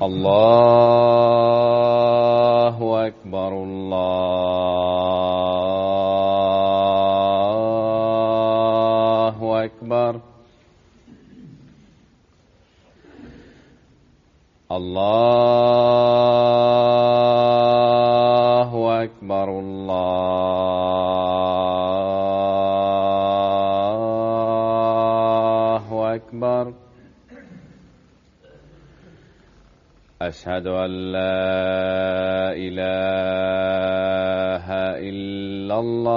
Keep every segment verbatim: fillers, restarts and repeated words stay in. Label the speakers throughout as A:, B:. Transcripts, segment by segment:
A: الله أكبر الله أكبر الله أكبر الله أكبر. أشهد أن لا إله إلا الله.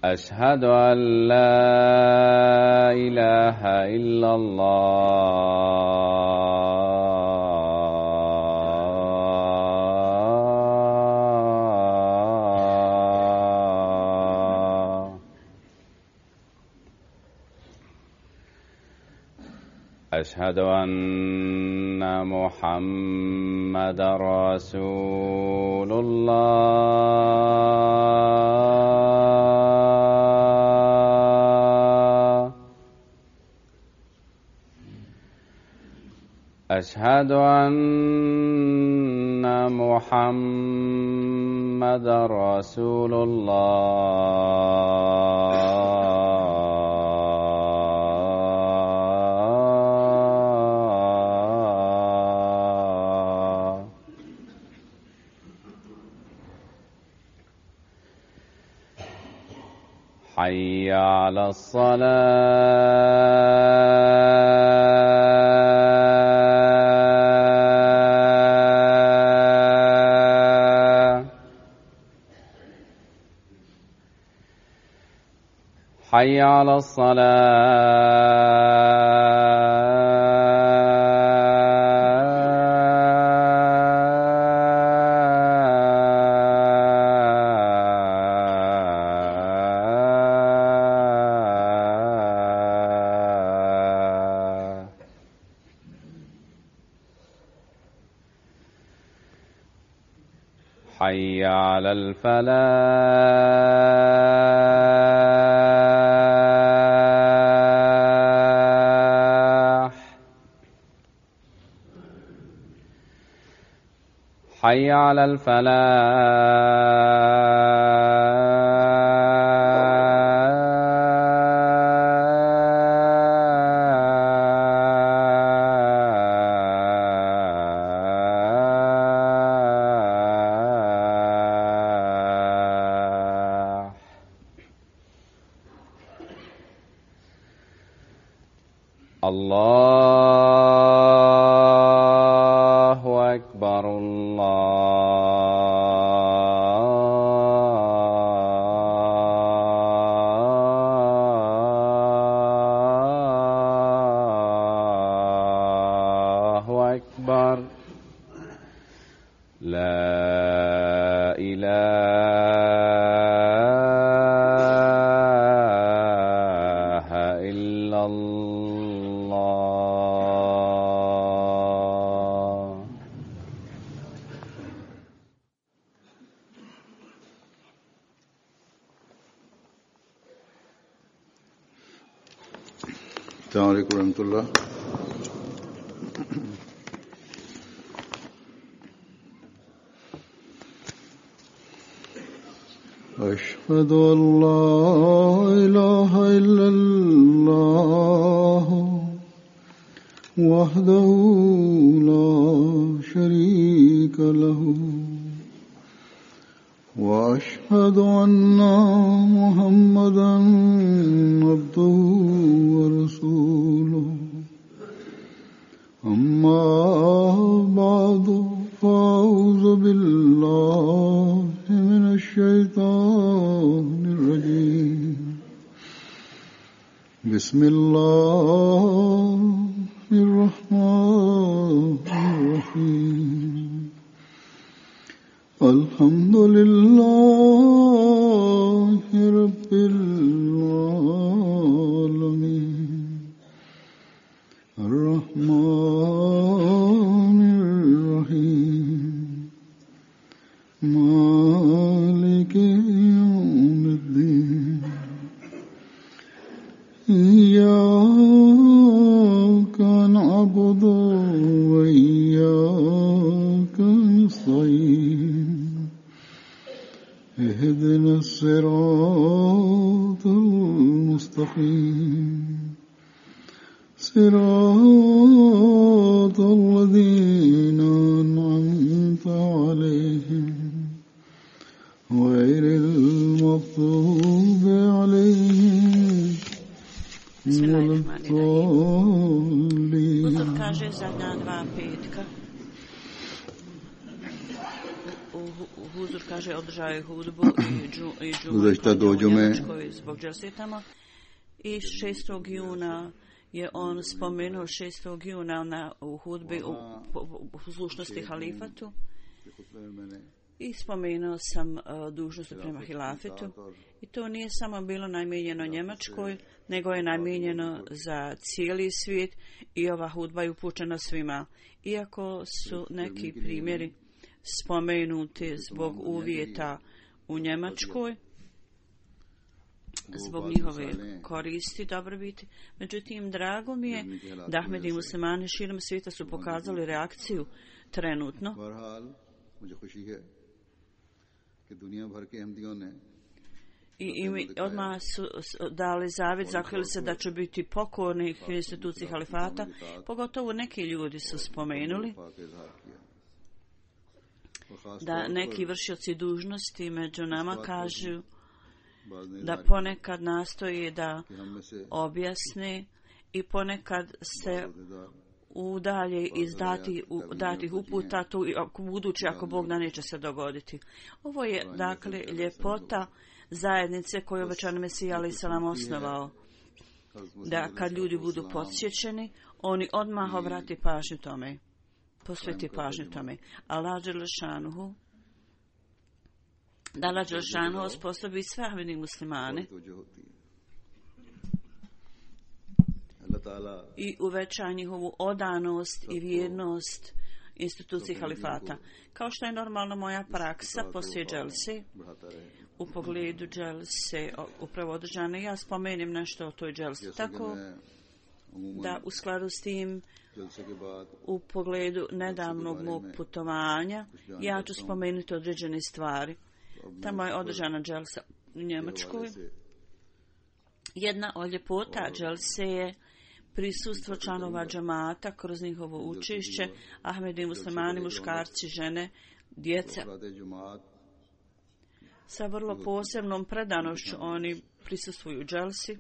A: أشهد أن لا إله إلا الله. أشهد أن محمدًا رسول الله. أشهد أن محمدًا رسول الله. حي على الصلاة. حي على حي على الفلاح. حي على الله أكبر الله أكبر. لا إله إلا الله.
B: السلام عليكم ورحمة الله. أشهد أن لا إله إلا الله وحده لا شريك له وأشهد أن محمدًا عبده ورسوله. أما بعد فأعوذ بالله من الشيطان الرجيم. بسم الله الرحمن الرحيم. الحمد لله رب العالمين. الرحمن الرحيم. مالك يوم اهدنا الصراط المستقيم صراط الذين أنعمت عليهم غير المغضوب عليهم ولا الضالين.
C: Uzor kaže zadnja dva petka. Huzur kaže održao je hudbu i džu i džumu u Njemačkoj zbog dželse tamo. I šestog juna je on spomenuo šestog juna na, u hudbi u poslušnosti halifatu. I spomenuo sam uh, dužnost prema hilafetu. I to nije samo bilo namijenjeno Njemačkoj, nego je namijenjeno za cijeli svijet i ova hudba je upućena svima. Iako su neki primjeri spomenuti zbog uvjeta u Njemačkoj, zbog njihove koristi, dobrobiti. Međutim, drago mi je da Ahmedi muslimani širom svijeta su pokazali reakciju trenutno. I, i odmah su dali zavjet, zakleli se da će biti pokorni instituciji halifata. Pogotovo neki ljudi su spomenuli da neki vršioci dužnosti među nama kažu da ponekad nastoji da objasni i ponekad se udalje iz dati, datih uputa, to budući ako Bog da neće se dogoditi. Ovo je dakle ljepota zajednice koju obećani Mesija alejhi selam osnovao. Da kad ljudi budu podsjećeni, oni odmah obrati pažnju tome. Posveti pažnju tome. Allah dželešanuhu da Allah dželešanuhu osposobi sve Ahmedi muslimane i uveća njihovu odanost i vjernost instituciji halifata. Kao što je normalno moja praksa poslije dželse, u pogledu dželse upravo održane, ja spomenem nešto o toj dželsi. Tako da u skladu s tim, u pogledu nedavnog mog putovanja, ja ću spomenuti određene stvari. Tamo je održana dželsa u Njemačkoj. Jedna od ljepota dželse je prisustvo članova džamata kroz njihovo učešće, Ahmedi muslimani, muškarci, žene, djeca. Sa vrlo posebnom predanošću oni prisustvuju dželsi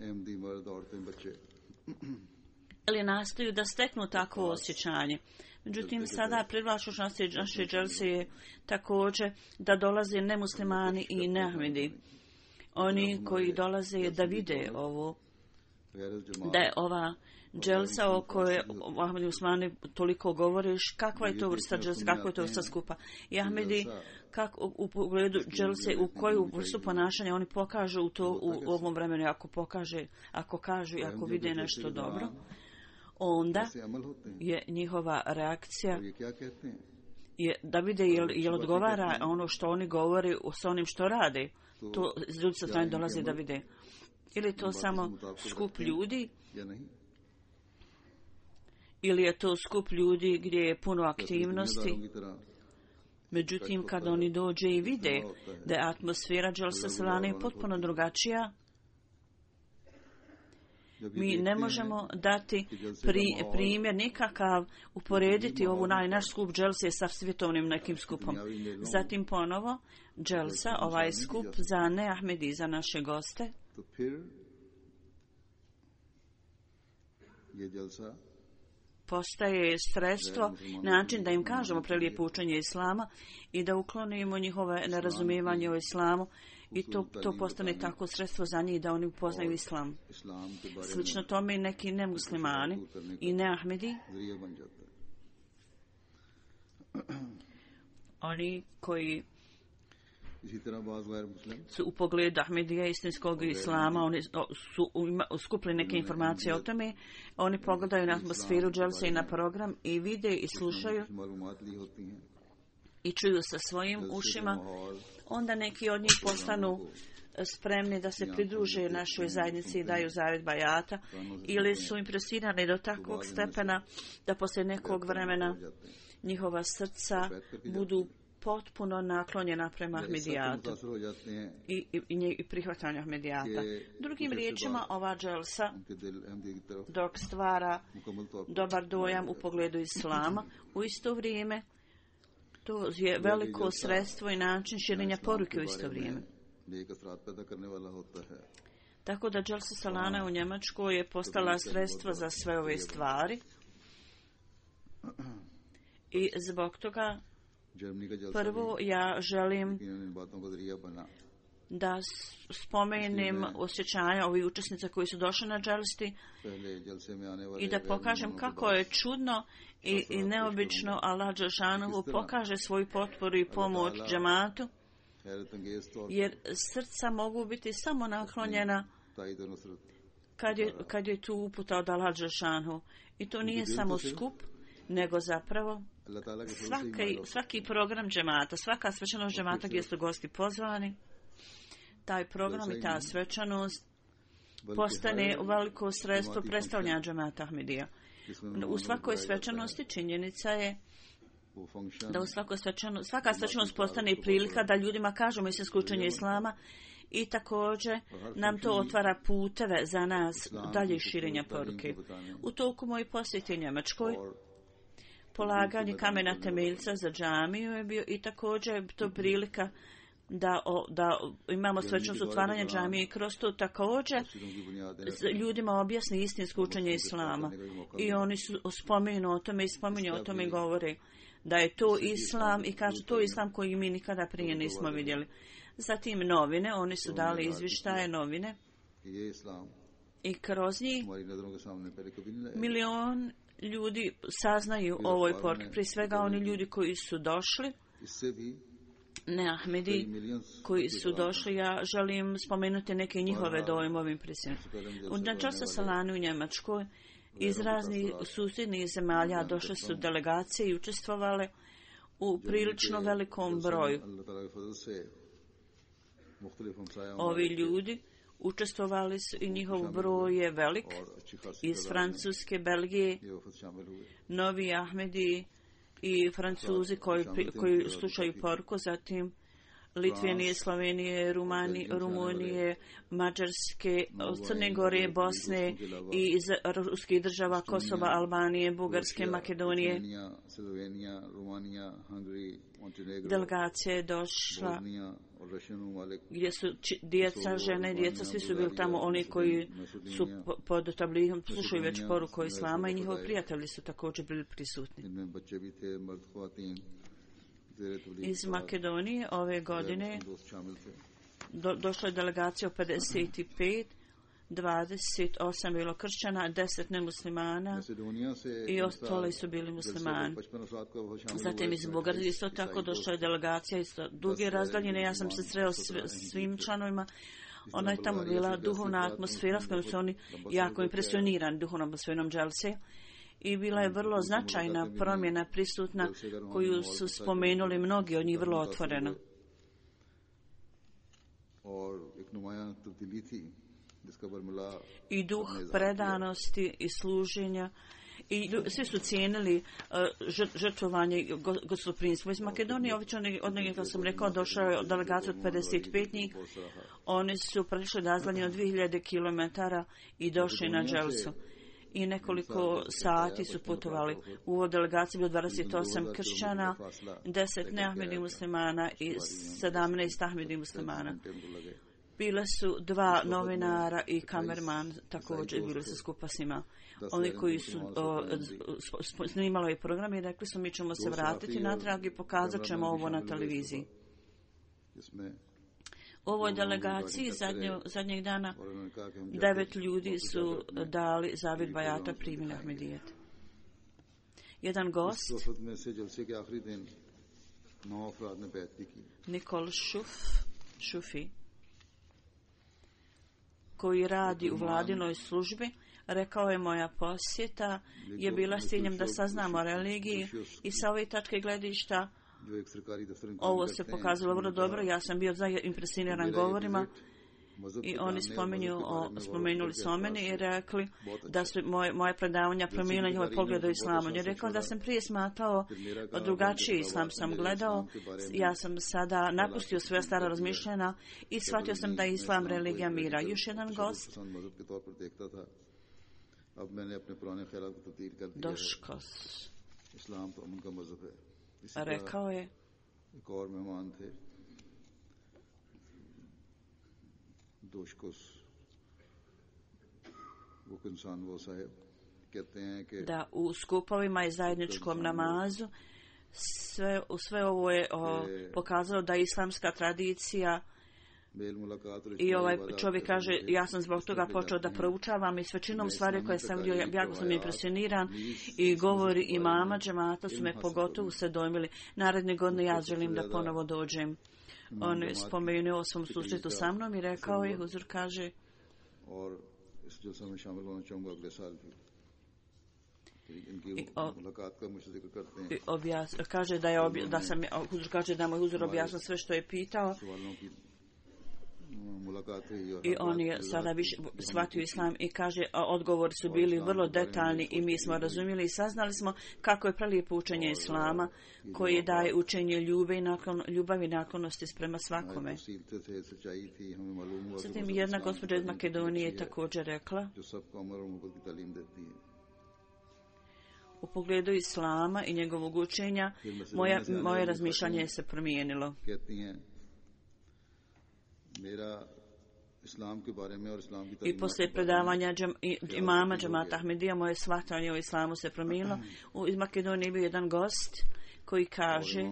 C: ili nastoju da steknu takvo osjećanje. Međutim, sada privlačuć naše dželse je također da dolaze nemuslimani i neahmedi. Oni koji dolaze da vide ovo, da je ova dželsa o kojoj Ahmedi Usmani toliko govoriš, kakva je to vrsta dželsa, kakva je to vrsta skupa. I Ahmedi, kako u pogledu dželse, u koju vrstu ponašanja oni pokažu u to u ovom vremenu, ako pokaže, ako kažu i ako vide nešto dobro, onda je njihova reakcija je da vide jel, jel odgovara ono što oni govore sa onim što rade. To ljudi sa strane dolaze da vide. Ili to samo skup ljudi, ili je to skup ljudi gdje je puno aktivnosti. Međutim, kad oni dođe i vide da je atmosfera dželsa salane potpuno drugačija, mi ne možemo dati pri, primjer nikakav, uporediti ovu naj, naš skup dželse sa svjetovnim nekim skupom. Zatim ponovo, dželsa, ovaj skup za neahmedi, za naše goste, postaje sredstvo, način da im kažemo prelijepo učenje islama i da uklonimo njihove nerazumijevanje o islamu i to, to postane tako sredstvo za njih da oni upoznaju islam. Slično tome i neki nemuslimani i neahmedi, oni koji su u pogledu Ahmedija istinskog islama, oni su skupili neke informacije o tome, oni pogledaju na atmosferu dželse i na program i vide i slušaju i čuju sa svojim ušima, onda neki od njih postanu spremni da se pridruže našoj zajednici i daju zavjet bajata, ili su impresirani do takvog stepena da poslije nekog vremena njihova srca budu potpuno naklonjena prema Ahmedijatu i, i, i, i prihvatanju Ahmedijata. Drugim riječima, ova dželsa, dok stvara dobar dojam u pogledu Islama, u isto vrijeme to je veliko sredstvo i način širenja poruke u isto vrijeme. Tako da dželsa Salana u Njemačkoj je postala sredstvo za sve ove stvari i zbog toga prvo ja želim da spomenem osjećanja ovih učesnica koji su došli na dželsti i da pokažem kako je čudno i, i neobično Allah dželšanuhu pokaže svoju potporu i pomoć džematu, jer srca mogu biti samo naklonjena kad je, kad je tu uputa od Allah dželšanuhu. I to nije samo skup, nego zapravo svaki, svaki program džemata, svaka svečanost džemata gdje su gosti pozvani, taj program i ta svečanost postane veliko sredstvo predstavljanja džemata Ahmedija. U svakoj svečanosti činjenica je da u svakoj svečanosti, svaka svečanost postane i prilika da ljudima kažemo istinsko učenje Islama i također nam to otvara puteve za nas dalje širenja poruke. U toku moje posjete Njemačkoj polaganje kamena temeljca za džamiju je bio i također je to prilika da, o, da imamo svečanost otvaranja džamije i kroz to također ljudima objasni istinsko učenje Islama. I oni su spomenu o tome i spominju o tome i govore da je to Islam i kažu to je Islam koji mi nikada prije nismo vidjeli. Zatim novine, oni su dali izvještaje novine i kroz njih milion ljudi saznaju o ovoj poruki. Prije svega oni ljudi koji su došli, ne Ahmedi, koji su došli, ja želim spomenuti neke njihove dojmove impresije. U dželsa Salani u Njemačkoj iz raznih susjednih zemalja došle su delegacije i učestvovale u prilično velikom broju. Ovi ljudi učestvovali su i njihov broj je velik iz Francuske, Belgije, novi Ahmedi i Francuzi koji, koji slušaju poruku, zatim Litvenije, Slovenije, Rumani, Rumunije, Mađarske, Crne Gore, Bosne i iz ruskih država Kosova, Albanije, Bugarske, Makedonije. Delegacija je došla gdje su djeca, žene, djeca, svi su bili tamo, oni koji su pod tabligom, slušaju već poruku Islama i njihovi prijatelji su također bili prisutni. Iz Makedonije ove godine do, došla je delegacija pedeset pet, dvadeset osam bilo kršćana, deset nemuslimana i ostali su bili muslimani. Zatim iz Bugarske isto tako došla je delegacija iz duge razdaljine. Ja sam se sreo s svim članovima. Ona je tamo bila duhovna atmosfera s kojom su oni jako impresionirani duhovnom atmosferom dželse. I bila je vrlo značajna promjena prisutna koju su spomenuli mnogi od njih vrlo otvoreno. I duh predanosti i služenja i svi su cijenili uh, žrtvovanje gostoprimstva. Iz Makedonije, obično od njega kao sam rekao, došao je delegacija od pedeset pet njih. Oni su prešli razdaljinu od dvije hiljade kilometara i došli na dželsu. I nekoliko sati su putovali. U ovoj delegaciji bilo dvadeset osam kršćana, deset neahmedi muslimana i sedamnaest ahmedi muslimana. Bile su dva novinara i kamerman, također bili su skupa s njima. Oni koji su o, snimali ovaj program i rekli su mi ćemo se vratiti natrag i pokazat ćemo ovo na televiziji. U ovoj delegaciji zadnje, zadnjeg dana devet ljudi su dali zavid bajata, primili Ahmedijet. Jedan gost, Nikol Šuf, Šufi, koji radi u vladinoj službi, rekao je moja posjeta je bila s ciljem da saznamo o religiji i sa ove tačke gledišta ovo se pokazalo vrlo dobro. Ja sam bio impresioniran govorima I oni spominju, o, spomenuli su o meni i rekli da su moje, moje predavanja promijenili njihove poglede o islamu. On je rekao da sam prije smatrao drugačiji islam sam gledao, ja sam sada napustio sve stara razmišljanja i shvatio sam da je islam religija mira. Još jedan gost. Doškos. Rekao je da u skupovima i zajedničkom namazu sve, sve ovo je o, pokazalo da je islamska tradicija i ovaj čovjek kaže ja sam zbog toga počeo da proučavam i s većinom stvari koje sam vidio jako sam impresioniran i govori imama džemata su me pogotovo se dojmili. Naredne godine ja želim da ponovo dođem. On je spomenuo o svom susretu sa mnom i rekao je, huzur kaže I, o, i objas, kaže da je obja, da sam huzur kaže da mu huzur objasnio sve što je pitao i on je sada više shvatio islam i kaže odgovori su bili vrlo detaljni i mi smo razumjeli i saznali smo kako je prelijepo učenje islama koji daje učenje ljubavi i nakon, ljubavi i naklonosti sprema svakome. Zatim jedna gospođa iz Makedonije je također rekla u pogledu islama i njegovog učenja moja, moje razmišljanje se promijenilo. I poslije predavanja džem, imama džemata Ahmedija moje shvatanje o islamu se promijenilo. U, iz Makedonije je bio jedan gost koji kaže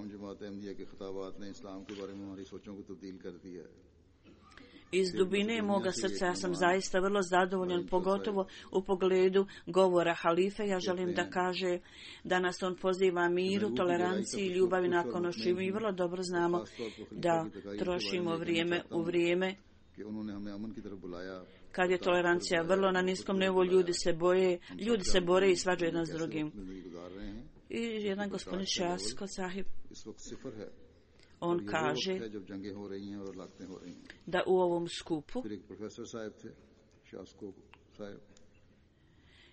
C: iz dubine moga srca ja sam zaista vrlo zadovoljan, pogotovo u pogledu govora halife. Ja želim da kaže da nas on poziva miru, toleranciji, ljubavi naklonosti. Mi vrlo dobro znamo da trošimo vrijeme u vrijeme kad je tolerancija vrlo na niskom nivou, ljudi se boje, ljudi se bore i svađaju jedan s drugim. I jedan gospodin Šasko sahib, on kaže da u ovom skupu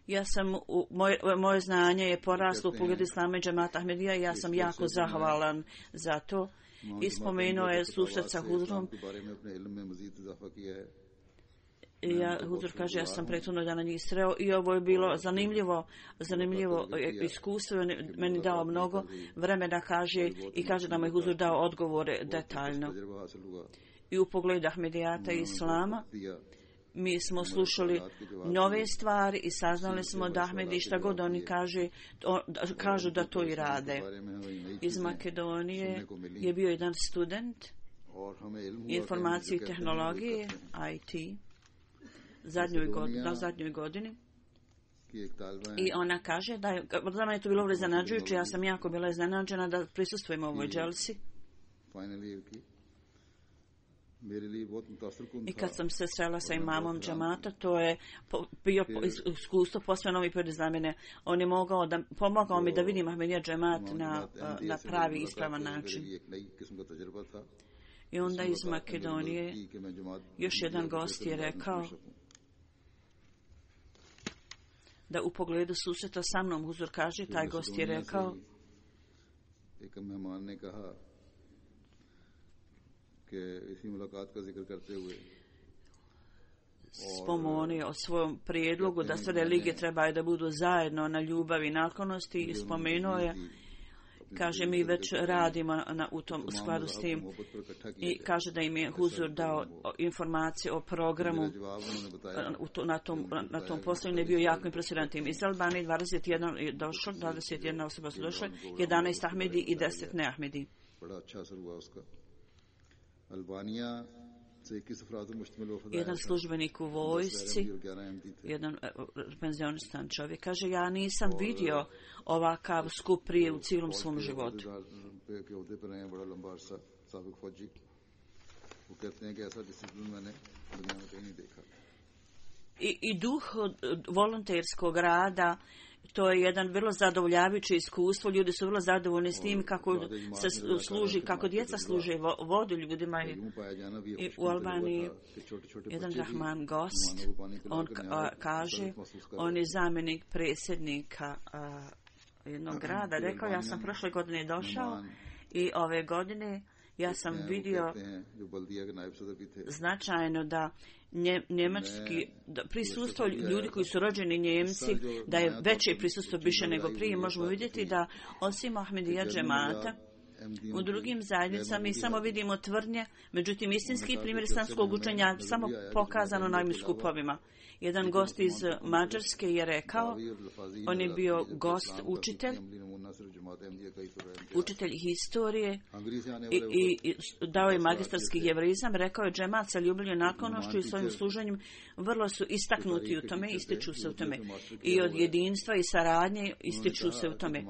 C: ja sam, u, moje, moje znanje je poraslo u pogledu islama i džemata Ahmedija i ja sam jako zahvalan za to. I spomenuo je susret sa Huzurom. Ja, Huzur kaže, ja sam prethodno dana njih sreo i ovo je bilo zanimljivo, zanimljivo iskustvo, meni dao mnogo vremena, kaže, i kaže da mu je Huzur dao odgovore detaljno. I u pogledu Ahmedijata i Islama, mi smo slušali nove stvari i saznali smo da Ahmedi šta god oni kaže, to, da, kažu da to i rade. Iz Makedonije je bio jedan student informacije i tehnologije, I T, zadnjoj godini, na zadnjoj godini. I ona kaže da je, za mene je to bilo vrlo iznenađujuće, ja sam jako bila iznenađena da prisustvujem ovoj dželsi. I kad sam se srela sa imamom džamata, to je bio iskustvo posve novi period za mene. On je mogao da, pomogao mi da vidim Ahmedija džamat na, na pravi ispravan način. I onda iz Makedonije još jedan gost je rekao da u pogledu susreta sa mnom, Huzur kaže, taj gost je rekao spomenuo o svojom prijedlogu da sve religije trebaju da budu zajedno na ljubavi i naklonosti i spomenuo je, kaže, mi već radimo na, u tom u skladu s tim i kaže da im je Huzur dao informacije o programu u to, na tom, na tom poslu je bio jako impresioniran tim. Iz Albanije dvadeset jedan je došlo, dvadeset jedna osoba su došle, jedanaest Ahmedi i deset ne Ahmedi. Jedan službenik u vojsci, jedan penzionistan čovjek, kaže, ja nisam vidio ovakav skup prije u cijelom svom životu. i, i duh volonterskog rada, to je jedan vrlo zadovoljavajuće iskustvo. Ljudi su vrlo zadovoljni s tim kako se služi, kako djeca služe vodu ljudima. I, i u Albaniji jedan Rahman gost, on kaže, on je zamjenik predsjednika a, jednog grada. Rekao, ja sam prošle godine došao i ove godine ja sam vidio značajno da nje, njemački da prisustvo ljudi koji su rođeni Njemci, da je veće prisustvo više nego prije. Možemo vidjeti da osim Ahmedija džemata u drugim zajednicama mi samo vidimo tvrdnje, međutim istinski primjer islamskog učenja samo pokazano na ovim skupovima. Jedan gost iz Mađarske je rekao, on je bio gost, učitelj, učitelj historije i, i, i dao je magistarski jevreizam. Rekao je, džemat sa ljubavlju naklonošću i svojim služenjem vrlo su istaknuti u tome, ističu se u tome. I od jedinstva i saradnje ističu se u tome.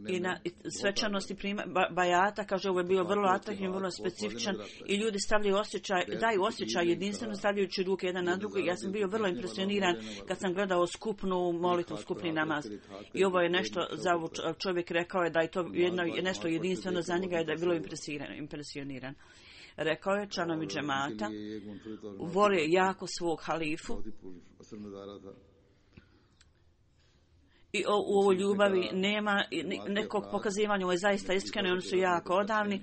C: I na svečanosti prima, ba, bajata, kaže, ovo je bio vrlo atraktivno, vrlo specifičan i ljudi stavljaju osjećaj, daju osjećaj jedinstveno stavljajući ruke jedan na drugo. Ja sam bio vrlo impresioniran kad sam gledao skupnu molitvu, skupni namaz. I ovo je nešto, za čovjek rekao je da je to jedno, nešto jedinstveno za njega i da je bilo impresioniran. Rekao je, članovi džemata vole jako svog halifu i o, u ovoj ljubavi nema nekog pokazivanja, ovo je zaista iskreno i oni su jako odavni.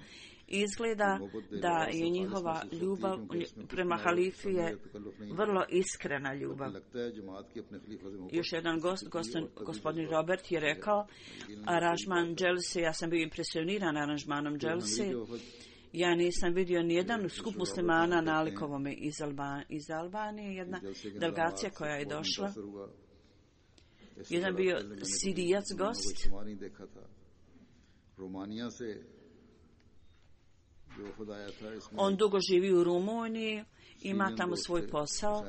C: Izgleda da je njihova ljubav prema halifi je vrlo iskrena ljubav. Još jedan gost, gospodin, gospodin Robert je rekao, aranžman Dželse, ja sam bio impresioniran aranžmanom Dželse. Ja nisam vidio nijedan skup muslimana nalikovome iz, Alba, iz Albanije, jedna delegacija koja je došla. Jedan bio Sirijac gost. On dugo živi u Rumuniji, ima tamo svoj posao.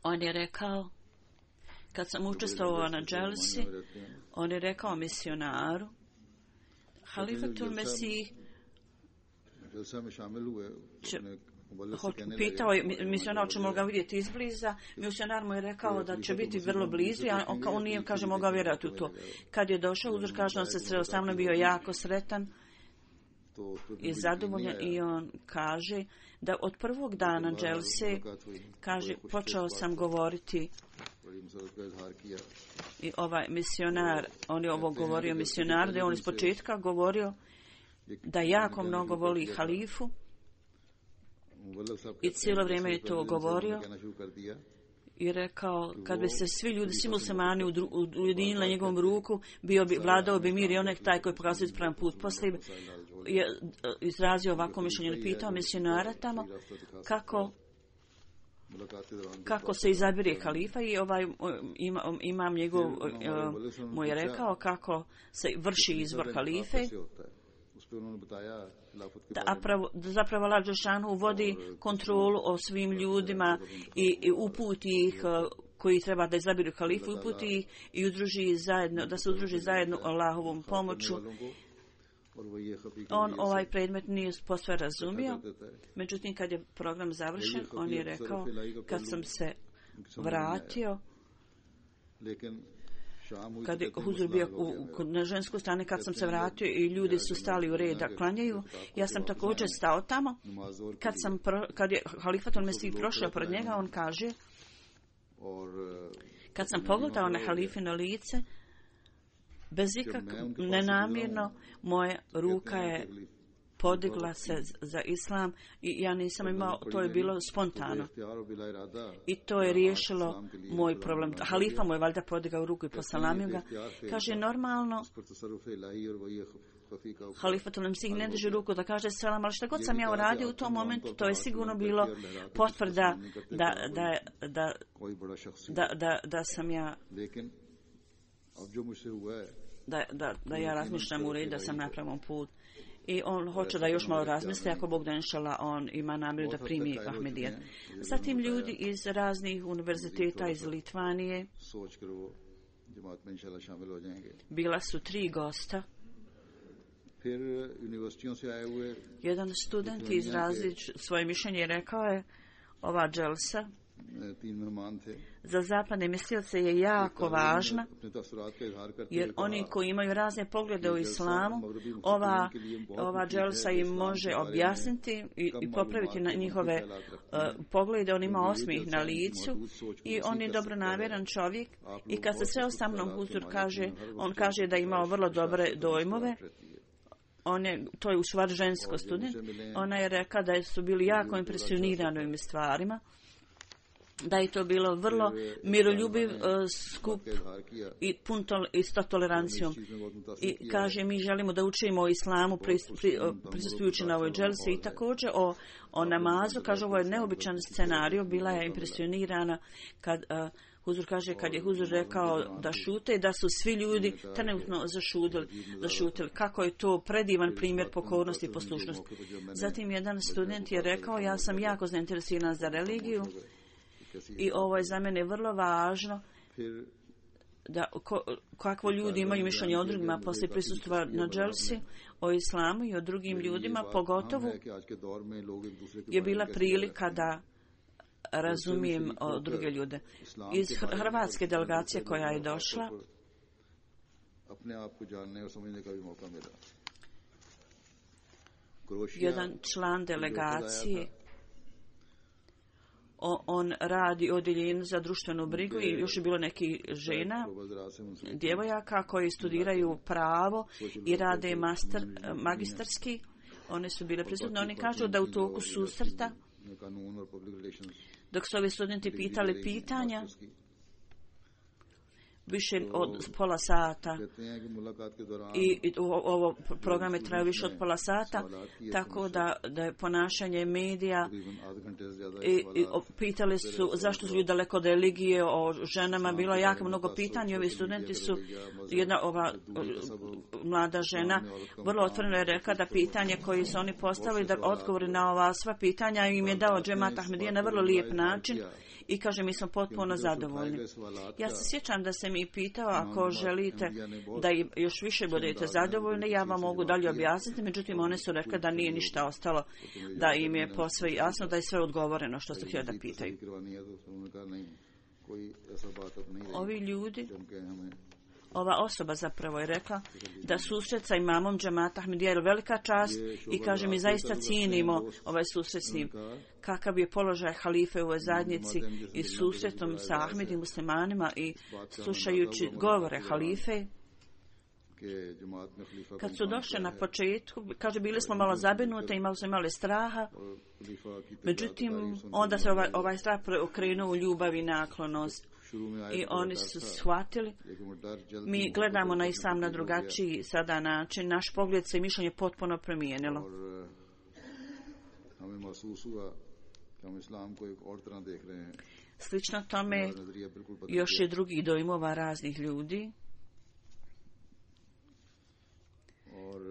C: On je rekao, kad sam učestvovao na dželsi, on je rekao misionaru, Halifatul Mesih će pitao je misionar ćemo ga vidjeti izbliza. Misionar mu je rekao da će biti vrlo blizu, a on, on nije, kaže, mogao vjerati u to. Kad je došao, uzor kaže, on se sreo sa mnom, bio jako sretan i zadovoljan i on kaže da od prvog dana dželse, kaže, počeo sam govoriti i ovaj misionar, on je ovo govorio misionar, da je on iz početka govorio da jako mnogo voli halifu i cijelo vrijeme je to govorio i rekao, kad bi se svi ljudi, svi muslimani ujedinili na njegovom ruku, bio bi, vladao bi mir i onek taj koji pokazuje ispravan put. Poslije je izrazio ovako mišljenje, pitao misionara tamo kako kako se izabire halifa i ovaj ima, imam njegov mu je rekao kako se vrši izbor halife. Da, pravo, da zapravo Allah dželešanu vodi kontrolu o svim ljudima i, i uputi ih koji treba da izabiru halifu, uputi ih i udruži zajedno, da se udruži zajedno Allahovom pomoću. On ovaj predmet nije posve razumio, međutim kad je program završen, on je rekao, kad sam se vratio, kad je huzur bio u, na ženskoj strani, kad sam se vratio i ljudi su stali u red da klanjaju, ja sam također stao tamo. Kad, sam pro, kad je Halifatul Mesih prošao pred njega, on kaže, kad sam pogledao na halifino lice, bez ikakvog nenamjerno, moja ruka je podigla se za islam i ja nisam imao, to je bilo spontano. I to je riješilo moj problem. Halifa mu je valjda podigao ruku i posalamio ga. Kaže, normalno, Halifatul Mesih ne drži ruku da kaže selam, ali što god sam ja uradio u tom momentu, to je sigurno bilo potvrda da, da, da, da, da, da sam ja da, da, da ja razmišljam u redu, da sam na pravom put. I on hoće da još malo razmisli, ako Bog da inšala on ima namjeru da primi Ahmedijet. Zatim ljudi iz raznih univerziteta iz Litvanije, bila su tri gosta
B: फिर यूनिवर्सिटियों से आए हुए
C: Jedan student izrazio svoje mišljenje i rekao je ova dželsa
B: तीन मेहमान थे
C: za zapadne mislioce je jako važna,
B: अपने तसरात का इजहार करते
C: jer oni koji imaju razne poglede u islamu, ova, ova dželsa im može objasniti i, i popraviti na njihove uh, poglede. On ima osmijeh na licu i on je dobronamjeran čovjek i kad se sreo sa mnom, Huzur kaže, on kaže da je imao vrlo dobre dojmove. On je, to je u stvari žensko student. Ona je rekla da su bili jako impresionirani ovim stvarima, da je to bilo vrlo miroljubiv uh, skup i pun tol, isto tolerancijom. I kaže, mi želimo da učimo o islamu pris, pri, prisustujući na ovoj dželsi i također o, o namazu. Kaže, ovo je neobičan scenarij, bila je impresionirana kad uh, Huzur kaže, kad je Huzur rekao da šute, da su svi ljudi trenutno zašutili, zašutili. Kako je to predivan primjer pokornosti i poslušnosti. Zatim jedan student je rekao, ja sam jako zainteresiran za religiju i ovo je za mene vrlo važno da ko, kakvo ljudi imaju mišljenje o drugima poslije prisustva na dželsi o islamu i o drugim ljudima, pogotovo je bila prilika da razumijem o druge ljude. Iz hrvatske delegacije koja je došla, jedan član delegacije, o, on radi odjeljenju za društvenu brigu i još je bilo neki žena, djevojaka koji studiraju pravo i rade master, magistarski. One su bile prisutne. Oni kažu da u toku susreta, dok su ovi studenti pitali pitanja, više od pola sata i, i ovo programe traju više od pola sata, tako da, da je ponašanje medija i, i pitali su zašto su ljudi daleko od religije, o ženama, bilo je jako mnogo pitanja. Ovi studenti su, jedna ova mlada žena vrlo otvoreno je rekla da pitanje koje su oni postavili, da odgovori na ova sva pitanja im je dao Džemat Ahmedija na vrlo lijep način i kaže, mi smo potpuno zadovoljni. Ja se sjećam da se mi pitao, ako želite da još više budete zadovoljni, ja vam mogu dalje objasniti, međutim one su rekli da nije ništa ostalo, da im je posve jasno, da je sve odgovoreno što su htjeli da pitaju. Ovi ljudi, ova osoba zapravo je rekla da susret sa imamom Džemata Ahmedija je velika čast i kaže, mi zaista cijenimo ovaj susret s njim. Kakav je položaj halife u ovoj zajednici i susretom sa Ahmedi muslimanima i slušajući govore halife. Kad su došli na početku, kaže, bili smo malo zabrinute, imali smo imali straha, međutim, onda se ovaj, ovaj strah okrenuo u ljubav i naklonost. I oni su shvatili, mi gledamo na islam na drugačiji sada način, naš pogled se i mišljenje potpuno promijenilo. Slično tome još je drugih dojmova raznih ljudi.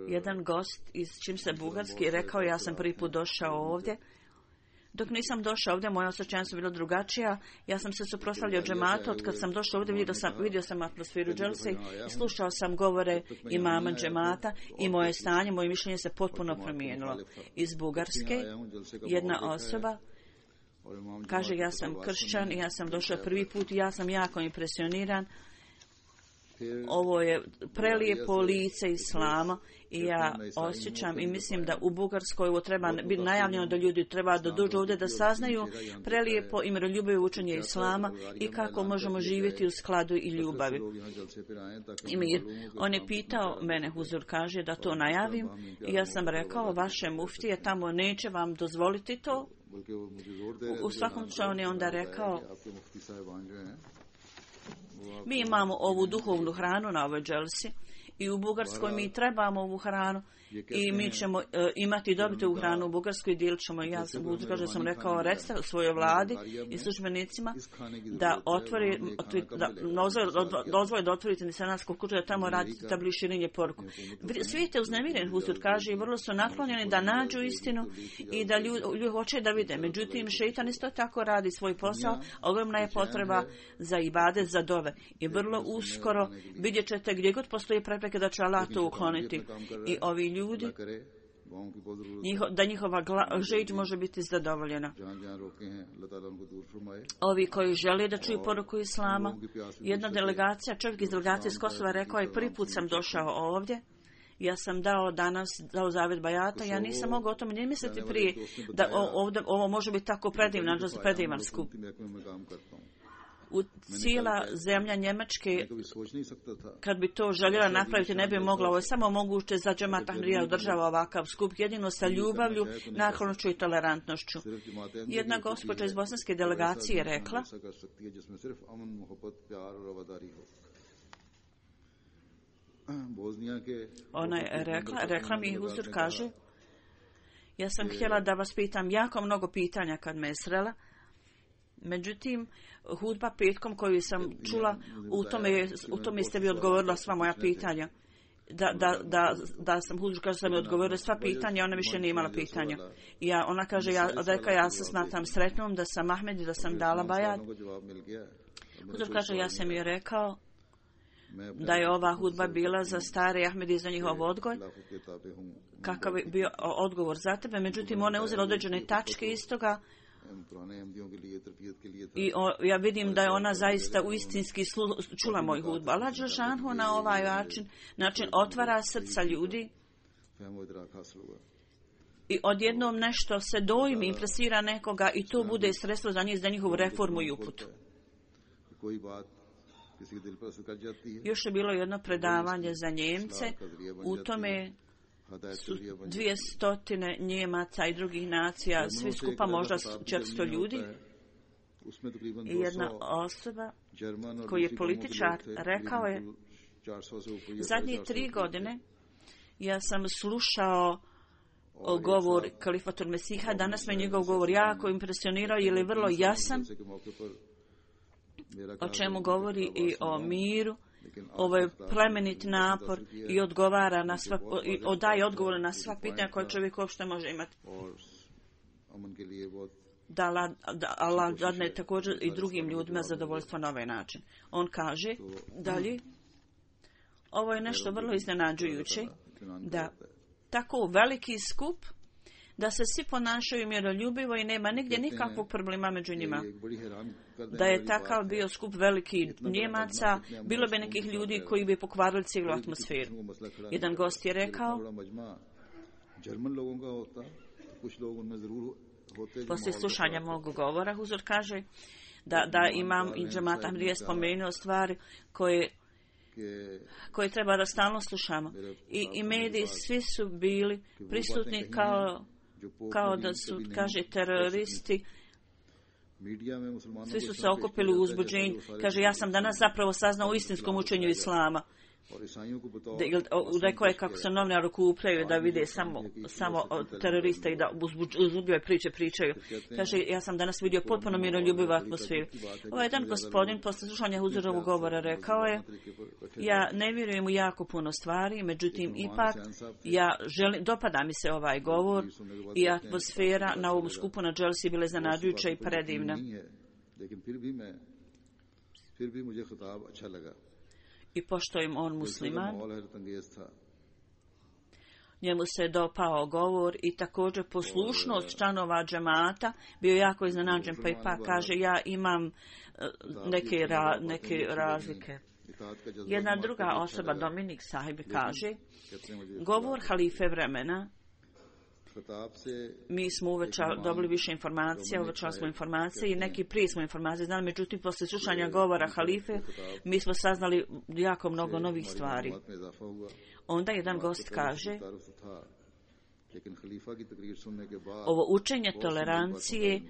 C: Jedan gost iz Čimse Bugarske rekao, ja sam prvi put došao ovdje. Dok nisam došao ovdje, moja osjećanja su bila drugačija. Ja sam se suprotstavljao džematu. Od kad sam došao ovdje, vidio sam, vidio sam atmosferu dželse i slušao sam govore imama džemata i moje stanje, moje mišljenje se potpuno promijenilo. Iz Bugarske jedna osoba kaže, ja sam kršćan i ja sam došao prvi put i ja sam jako impresioniran. Ovo je prelijepo lice islama i ja osjećam i mislim da u Bugarskoj ovo treba biti najavljeno da ljudi treba da dođu ovdje da saznaju prelijepo i miroljubivo učenje islama i kako možemo živjeti u skladu i ljubavi. I mir. On je pitao mene, Huzur kaže, da to najavim i ja sam rekao, vaše muftije tamo neće vam dozvoliti to. U, u svakom slučaju on je onda rekao, mi imamo ovu duhovnu hranu na ovoj dželsi i u Bugarskoj mi trebamo ovu hranu i mi ćemo uh, imati i dobiti ovu hranu u Bugarskoj i dijelit ćemo. Ja sam, kaže, sam rekao, recite svojoj vladi i službenicima da otvori, da dozvoli da otvorite nisanatsku kuću, da tamo radite tabli širenje poruku. Svijet je uznemiren, Huzur kaže, i vrlo su naklonjeni da nađu istinu i da ljudi, ljudi hoće da vide. Međutim, šeitan isto tako radi svoj posao, ogromna je potreba za ibade, za dove. I vrlo uskoro vidjet ćete gdje god postoji prepreka zapreke, da će Allah to ukloniti. I ovi ljudi, njiho, da njihova žeđ može biti zadovoljena. Ovi koji žele da čuju poruku Islama, jedna delegacija, čovjek iz delegacije iz Kosova rekao je, prvi put sam došao ovdje, ja sam dao danas, dao zavjet bajata, ja nisam mogao o tome ni misliti prije, da ovdje, ovo može biti tako predivno, predivan skup. U cijela zemlja Njemačke, kad bi to željela napraviti, ne bi mogla. Ovo je samo moguće za Džemat Ahmadija održava ovakav skup, jedino sa ljubavlju, naklonošću i tolerantnošću. Jedna gospođa iz bosanske delegacije je rekla, ona je rekla, rekla mi Huzur kaže, ja sam htjela da vas pitam jako mnogo pitanja kad me je srela, međutim, hudba petkom koju sam čula, u tome, u tome ste vi odgovorila sva moja pitanja. Da, da, da, da sam Huzur kaže sam mi odgovorila sva pitanja, ona više nije imala pitanja. I ja, ona kaže, ja, reka, ja se smatram sretnom da sam Ahmed i da sam dala bajat. Huzur kaže, ja sam joj rekao da je ova hudba bila za stare Ahmedi za njihov odgoj, kakav je bio odgovor za tebe. Međutim, ona je uzela određene tačke iz toga i o, ja vidim da je ona zaista uistinski slu, čula moj hudbu. Allah dželešanu na ovaj način, način otvara srca ljudi i odjednom nešto se dojmi, impresira nekoga i to bude sredstvo za njih, za njihovu reformu i uputu. Još je bilo jedno predavanje za Njemce, u tome su dvije stotine Njemaca i drugih nacija, svi skupa možda četiristo ljudi. I jedna osoba koji je političar rekao je, zadnje tri godine ja sam slušao govor Kalifatul Mesiha, danas me njegov govor jako impresionirao jer je vrlo jasan, o čemu govori i o miru. Ovo je plemenit napor i odgovara na sva, i daje odgovore na sva pitanja koje čovjek uopšte može imati. Da Allah, da Allah dadne također i drugim ljudima zadovoljstvo na ovaj način. On kaže dalje, ovo je nešto vrlo iznenađujuće, da tako veliki skup, da se svi ponašaju miroljubivo i nema nigdje nikakvog problema među njima. Da je takav bio skup veliki Njemaca, bilo bi nekih ljudi koji bi pokvarili cijelu atmosferu. Jedan gost je rekao, poslije slušanja mog govora, Huzur kaže, da, da imam i Džemat Ahmadija spomenuo stvari koje koje treba da stalno slušamo. I, i mediji svi su bili prisutni kao kao da su, kaže, teroristi, svi su se okupili u uzbuđenju. Kaže, ja sam danas zapravo saznao u istinskom učenju Islama. Rekao je kako se novinari okupljaju da vide samo, samo teroriste i da uzbudljive priče pričaju. Kaže, ja sam danas vidio potpuno miroljubivu atmosferu. Ovaj jedan gospodin posle slušanja Huzurovog govora rekao je, ja ne vjerujem u jako puno stvari, međutim ipak ja želim, dopada mi se ovaj govor i atmosfera na ovom skupu na Dželsi bile zanađujuća i predivna. I pošto im on musliman, njemu se dopao govor i također poslušnost članova džemata, bio jako iznenađen, pa ipak kaže, ja imam neke, ra, neke razlike. Jedna druga osoba, Dominik Sahib, kaže, govor halife vremena, mi smo uvećali, dobili više informacija, uvećali smo informacije i neki prije smo informacije znali, međutim, posle slušanja govora halife, mi smo saznali jako mnogo novih stvari. Onda jedan gost kaže, ovo učenje tolerancije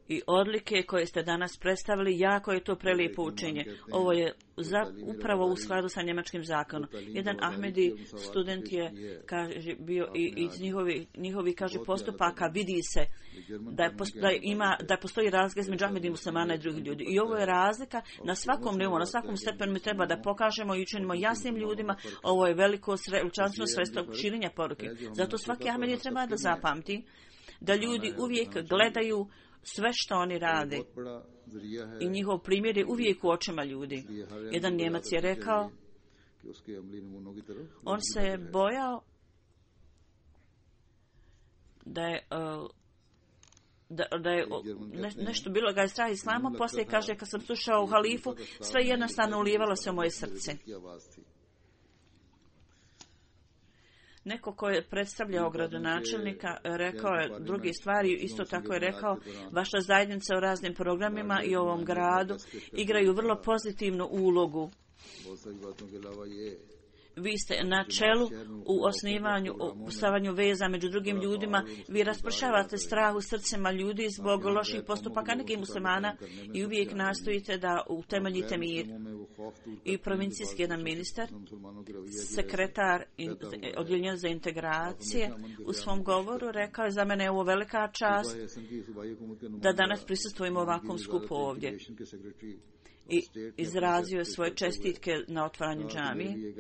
C: i odlike koje ste danas predstavili, jako je to prelijepo učenje. Ovo je za, upravo u skladu sa njemačkim zakonom. Jedan Ahmedi student je kaže, bio i iz njihovi, njihovi kaže, postupaka vidi se da, je, da, ima, da postoji razlika između Ahmedi muslimana i drugih ljudi. I ovo je razlika na svakom nivou, na svakom stepenu mi treba da pokažemo i učinimo jasnim ljudima, ovo je veliko časno sredstvo širenja poruke. Zato svaki Ahmedi treba da zapamti da ljudi uvijek gledaju sve što oni rade i njihov primjer je uvijek u očima ljudi. Jedan Njemac je rekao,
B: कि उसके अमली नमूनों की तरफ
C: On se je bojao da je uh, da, da je ne, nešto bilo ga je strah islama, poslije kaže kad sam slušao halifu, sve jednostavno ulivalo se u moje srce. Neko ko je predstavljao gradonačelnika rekao je drugi stvari, isto tako je rekao, vaša zajednica u raznim programima i u ovom gradu igraju vrlo pozitivnu ulogu. Vi ste na čelu u osnivanju, u stavanju veza među drugim ljudima, vi raspršavate strah u srcima ljudi zbog loših postupaka nekih muslimana i uvijek nastojite da utemeljite mir. I provincijski jedan ministar, sekretar odjeljenja za integracije, u svom govoru rekao je za mene je ovo velika čast da danas prisustvujemo ovakvom skupu ovdje. I izrazio je svoje čestitke na otvaranju džamije.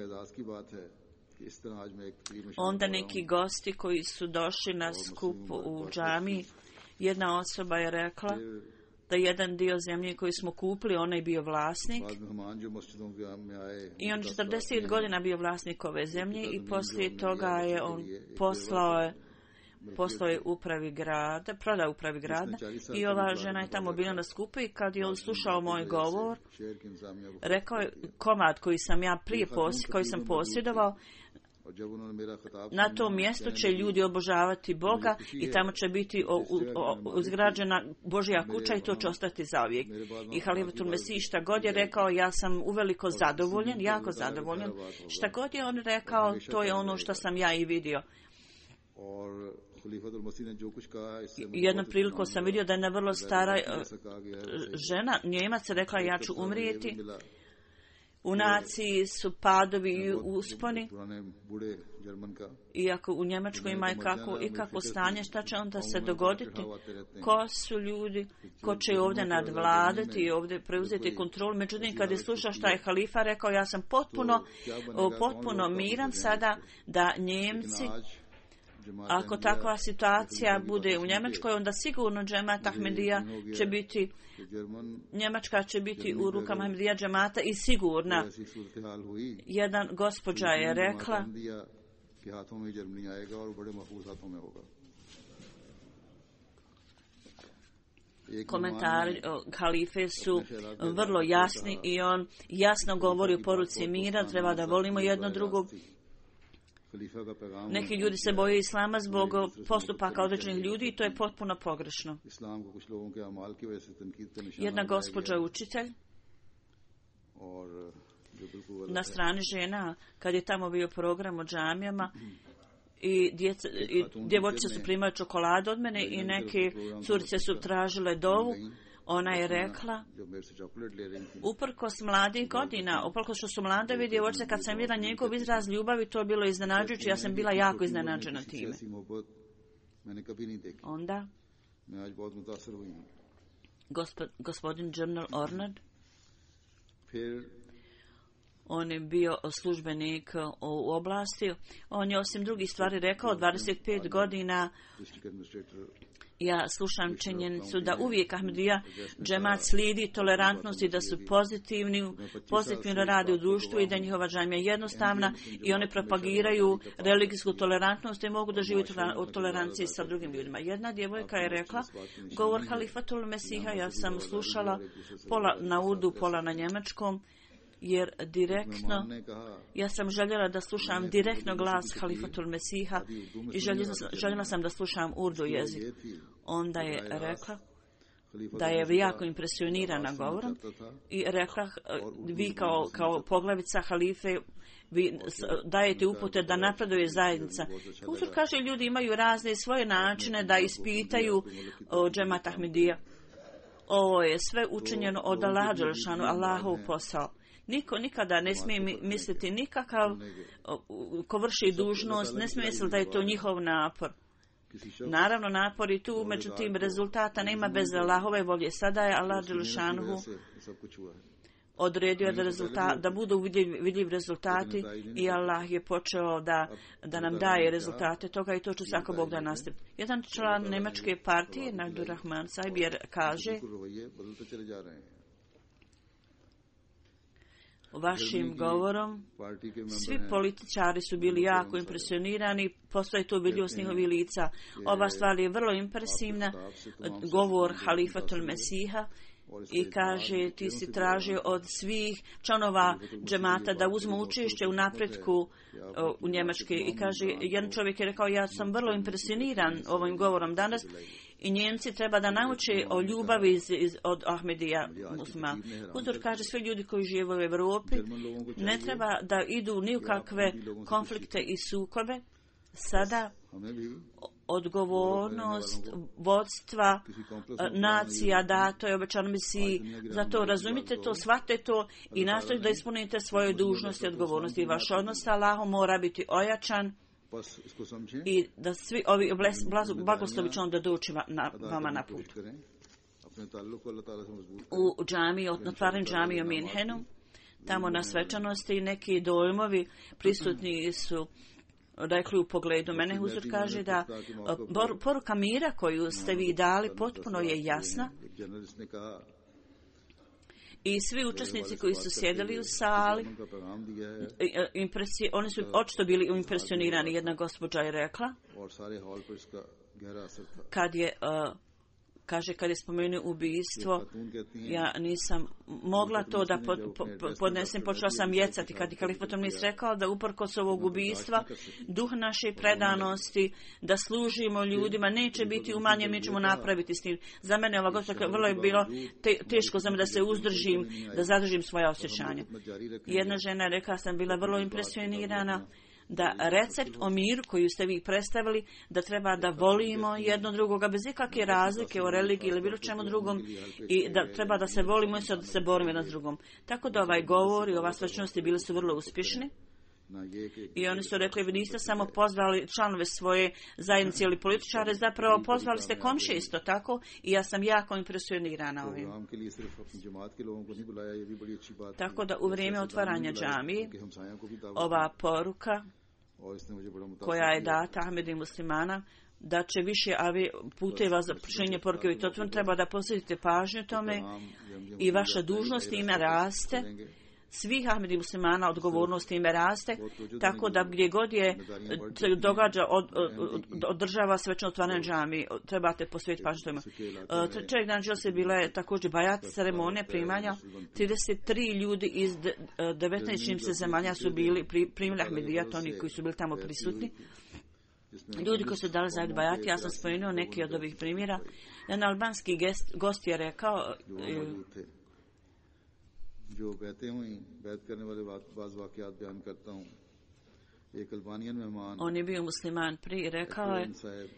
C: Onda neki gosti koji su došli na skup u džamiji, jedna osoba je rekla da jedan dio zemlje koji smo kupili, onaj bio vlasnik i on četrdeset godina bio vlasnik ove zemlje i poslije toga je on poslao je poslao je upravi grada, prodao upravi grada i ova žena je tamo bila na skupu i kad je on slušao moj govor, rekao je komad koji sam ja prije posjedovao, koji sam posjedovao, na tom mjestu će ljudi obožavati Boga i tamo će biti izgrađena Božja kuća i to će ostati zauvijek. I Halifatul Mesih šta god je rekao, ja sam uveliko zadovoljen, jako zadovoljen. Šta god je on rekao, to je ono što sam ja i vidio. Jednom priliku sam vidio da je jedna vrlo stara žena, Njemac, rekla ja ću umrijeti. U naciji su padovi i usponi. Iako u Njemačkoj ima i kako, i kako stanje, šta će onda se dogoditi? Ko su ljudi, ko će ovdje nadvladati i ovdje preuzeti kontrolu? Međutim, kad je slušao šta je halifa rekao, ja sam potpuno, potpuno miran sada da Njemci, ako takva situacija bude u Njemačkoj, onda sigurno džemat Ahmedija će biti, Njemačka će biti u rukama Ahmedija džemata i sigurna. Jedan gospođa je rekla, komentari halife su vrlo jasni i on jasno govori o poruci mira, treba da volimo jedno drugo. Neki ljudi se boje islama zbog postupaka određenih ljudi i to je potpuno pogrešno. Jedna gospođa učitelj na strani žena, kad je tamo bio program o džamijama, i, djeca, i djevojčice su primale čokoladu od mene i neke curice su tražile dovu. Ona je rekla, uprkos mladih godina, uprkos što su mladevi djevojčice, kad sam vidjela njegov izraz ljubavi, to je bilo iznenađujuće, ja sam bila jako iznenađena time. Onda, gospod, gospodin General Ornard, on je bio službenik u oblasti, on je osim drugih stvari rekao, dvadeset pet godina ja slušam činjenicu da uvijek Ahmedija džemat slijedi tolerantnost i da su pozitivni, pozitivno rade u društvu i da njihova džamija je jednostavna i one propagiraju religijsku tolerantnost i mogu da žive u toleranciji sa drugim ljudima. Jedna djevojka je rekla, govor Halifatul Mesiha, ja sam slušala pola na urdu, pola na njemačkom, jer direktno, ja sam željela da slušam direktno glas Halifatul Mesiha i željela, željela sam da slušam urdu jezik. Onda je rekla da je jako impresionirana govorom i rekla, vi kao, kao poglavica halife, vi dajete upute da napreduje zajednica. Uzor kaže, ljudi imaju razne svoje načine da ispitaju džemat Ahmedija. Ovo je sve učinjeno od Allaha dželešanu, Allahov posao. Niko nikada ne smije misliti nikakav ko vrši dužnost, ne smije misliti da je to njihov napor. Naravno, napor i tu, međutim, rezultata nema bez Allahove volje. Sada je Allah dželešanu odredio da, rezultat, da budu vidljiv, vidljiv rezultati i Allah je počeo da, da nam daje rezultate toga i to će svako Bog da nastavi. Jedan član nemačke partije, Nadur Rahman Sajbjer, kaže, vašim govorom. Svi političari su bili jako impresionirani, postoje to vidljivo s njihovih lica. Ova stvar je vrlo impresivna, govor Halifatul Mesiha, i kaže ti si tražio od svih članova džemata da uzmu učešće u napretku u Njemačke. I kaže, jedan čovjek je rekao, ja sam vrlo impresioniran ovim govorom danas i Njemci treba da nauče o ljubavi iz, iz, od Ahmedija muslima. Huzur kaže, svi ljudi koji žive u Evropi ne treba da idu ni u kakve konflikte i sukobe. Sada odgovornost vodstva nacija dato je obećano misiji. Zato razumite to, shvatite to i nastojite da ispunite svoje dužnosti i odgovornosti. Vaš odnos sa Allahom mora biti ojačan i da svi ovi blagoslovi će onda doći na, vama na put. U džamiji, otvaranju džamije u Minhenu, tamo na svečanosti neki dojmovi prisutni su rekli u pogledu mene. Huzur kaže da poruka mira koju ste vi dali potpuno je jasna i svi učesnici koji su sjedili u sali, impresije, oni su očito bili impresionirani. Jedna gospođa je rekla, kad je uh, kaže, kad je spomenuo ubijstvo, ja nisam mogla to da pod, po, podnesem, počela sam jecati. Kad je Kalifatul Mesih rekao da uprkos ovog ubijstva, duh naše predanosti, da služimo ljudima, neće biti umanjen, mi ćemo napraviti s njim. Za mene ova gospođa vrlo je bilo te, teško za me da se uzdržim, da zadržim svoje osjećanje. Jedna žena je rekla, sam bila vrlo impresionirana da recept o miru koju ste vi predstavili, da treba da volimo jedno drugoga bez ikakve razlike o religiji ili bilo čemu drugom i da treba da se volimo i da se borimo jedan s drugom. Tako da ovaj govor i ova svečanosti bili su vrlo uspješni. I oni su rekli, vi niste samo pozvali članove svoje zajednice ili političare, zapravo pozvali ste komšije isto tako i ja sam jako impresionirana ovim. Tako da u vrijeme otvaranja džamije, ova poruka koja je data Ahmedi muslimana, da će više avi puteva za prišenje poruke i to treba da posvetite pažnju tome i vaša dužnost ime raste. Svih Ahmedi muslimana odgovornost ime raste, tako da gdje god je se događa od, od, održava svečno otvaranje džamije, trebate posvetiti pažnju tome. Čovjek dan žel se bila je također bajat ceremonija primanja. trideset tri ljudi iz devetnaest čim se zemalja su bili pri, primili Ahmedijat, oni koji su bili tamo prisutni. Ljudi koji su dali zajedno bajati, ja sam spomenuo neki od ovih primjera. Jedan albanski gest, gost je rekao,
B: जो बहते हुई बैत करने वाले बाज वाकयात बयान करता हूँ. एक अल्बानियन मेहमान,
C: on je bio musliman prije, rekao je,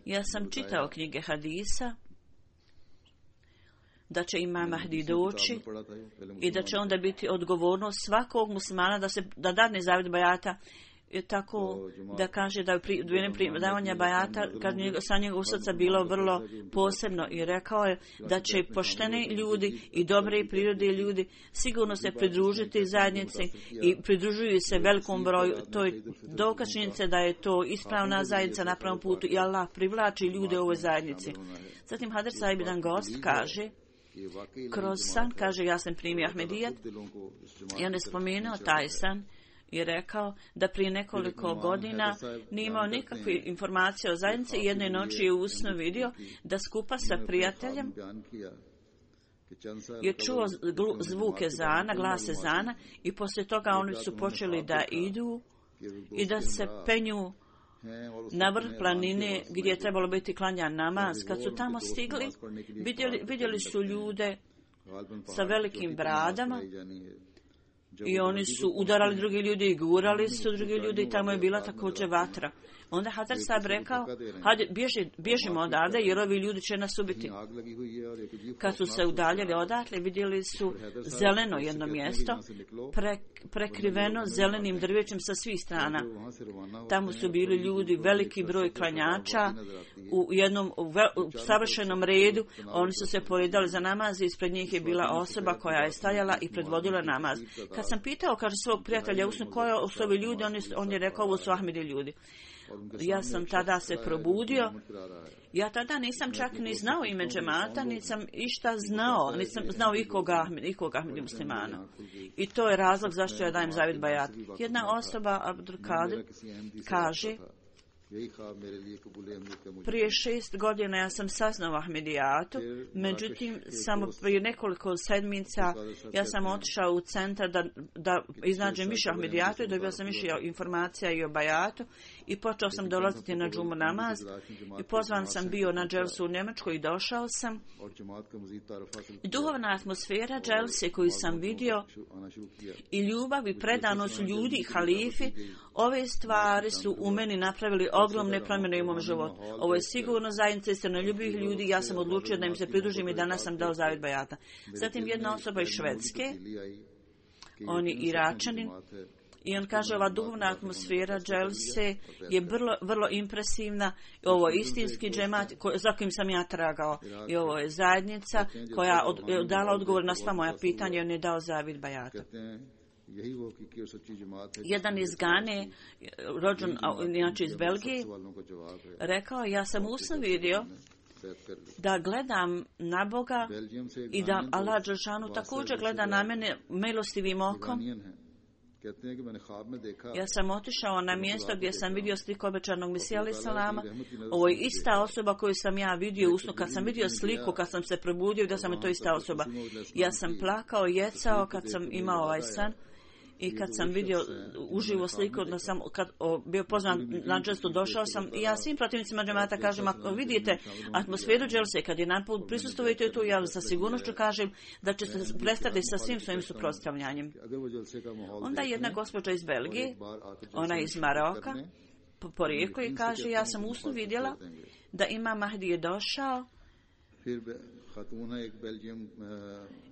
C: ja sam čitao knjige hadisa da će Imam Mahdi doći i da će onda biti odgovornost svakog muslimana da se da dadne zavjet bajata, tako da kaže da je pri davanja bajata kad njeg, sa njegovog srca bilo vrlo posebno i rekao je da će pošteni ljudi i dobre prirode ljudi sigurno se pridružiti zajednici i pridružuju se velikom broju. To je dokaz činjenice da je to ispravna zajednica na pravom putu i Allah privlači ljude u ovoj zajednici. Zatim Hadr Sahib jedan gost kaže, kroz san, kaže, ja sam primio Ahmedijat i on je spomenuo taj san i rekao da prije nekoliko godina nije imao nikakve informacije o zajednici i jedne noći je u snu vidio da skupa sa prijateljem je čuo zvuk ezana, glas ezana i poslije toga oni su počeli da idu i da se penju na vrh planine gdje je trebalo biti klanjan namaz. Kad su tamo stigli, vidjeli, vidjeli su ljude sa velikim bradama i oni su udarali drugi ljudi i gurali su drugi ljudi i tamo je bila također vatra. Onda Hadar Sahib rekao, hajde, bježi, bježimo odavde jer ovi ljudi će nas ubiti. Kad su se udaljili odatle, vidjeli su zeleno jedno mjesto, pre, prekriveno zelenim drvećem sa svih strana. Tamo su bili ljudi, veliki broj klanjača, u jednom u ve, u savršenom redu. Oni su se poredali za namaz i ispred njih je bila osoba koja je stajala i predvodila namaz. Kad sam pitao, kaže, svog prijatelja usnu, koja su ovi ljudi, on je, on je rekao, ovo su Ahmedi ljudi. Ja sam tada se probudio. Ja tada nisam čak ni znao ime džemata, nisam išta znao, nisam znao ikoga, ikoga Ahmedi muslimana. I to je razlog zašto ja dajem zavid bajat. Jedna osoba, Abdul Kadir, kaže: prije šest godina ja sam saznao Ahmedijatu, međutim samo prije nekoliko sedmica ja sam otišao u centar da, da iznađem više Ahmedijatu i dobio sam više informacija i o bajatu i počeo sam dolaziti na džumu namaz i pozvan sam bio na dželsu u Njemačkoj i došao sam. I duhovna atmosfera dželse koju sam vidio i ljubav i predanost ljudi i halifi, ove stvari su u meni napravili ogromne promjene u mom životu. Ovo je sigurno zajednica istinoljubivih ljudi, ja sam odlučio da im se pridružim i danas sam dao zavid bajata. Zatim jedna osoba iz Švedske, on je Iračanin, i on kaže: ova duhovna atmosfera dželse je vrlo, vrlo impresivna. Ovo je istinski džemat za kojim sam ja tragao. I ovo je zajednica koja od, je dala odgovor na sva moja pitanja i on je dao zavid bajata. Jedan iz Gane, rođen inače iz Belgije, rekao: ja sam usno vidio da gledam na Boga i da Allah dželešanu također gleda na mene milostivim okom. Ja sam otišao na mjesto gdje sam vidio sliku obećanog Mesija alejhi selama. Ovo je ista osoba koju sam ja vidio usnu. Kad sam vidio sliku, kad sam se probudio, da sam je to ista osoba. Ja sam plakao, jecao kad sam imao ovaj san. I kad sam vidio uživo sliku, da sam kad o, bio pozvan na dželsu, došao sam i ja svim protivnicima džemata kažem: ako vidite atmosferu dželse, kad je naput prisustvujete tu, ja sa sigurnošću kažem da ćete prestati sa svim svojim suprotstavljanjem. Onda jedna gospođa iz Belgije, ona iz Maroka, po porijeklu, i kaže: ja sam usnu vidjela da Imam Mahdi je došao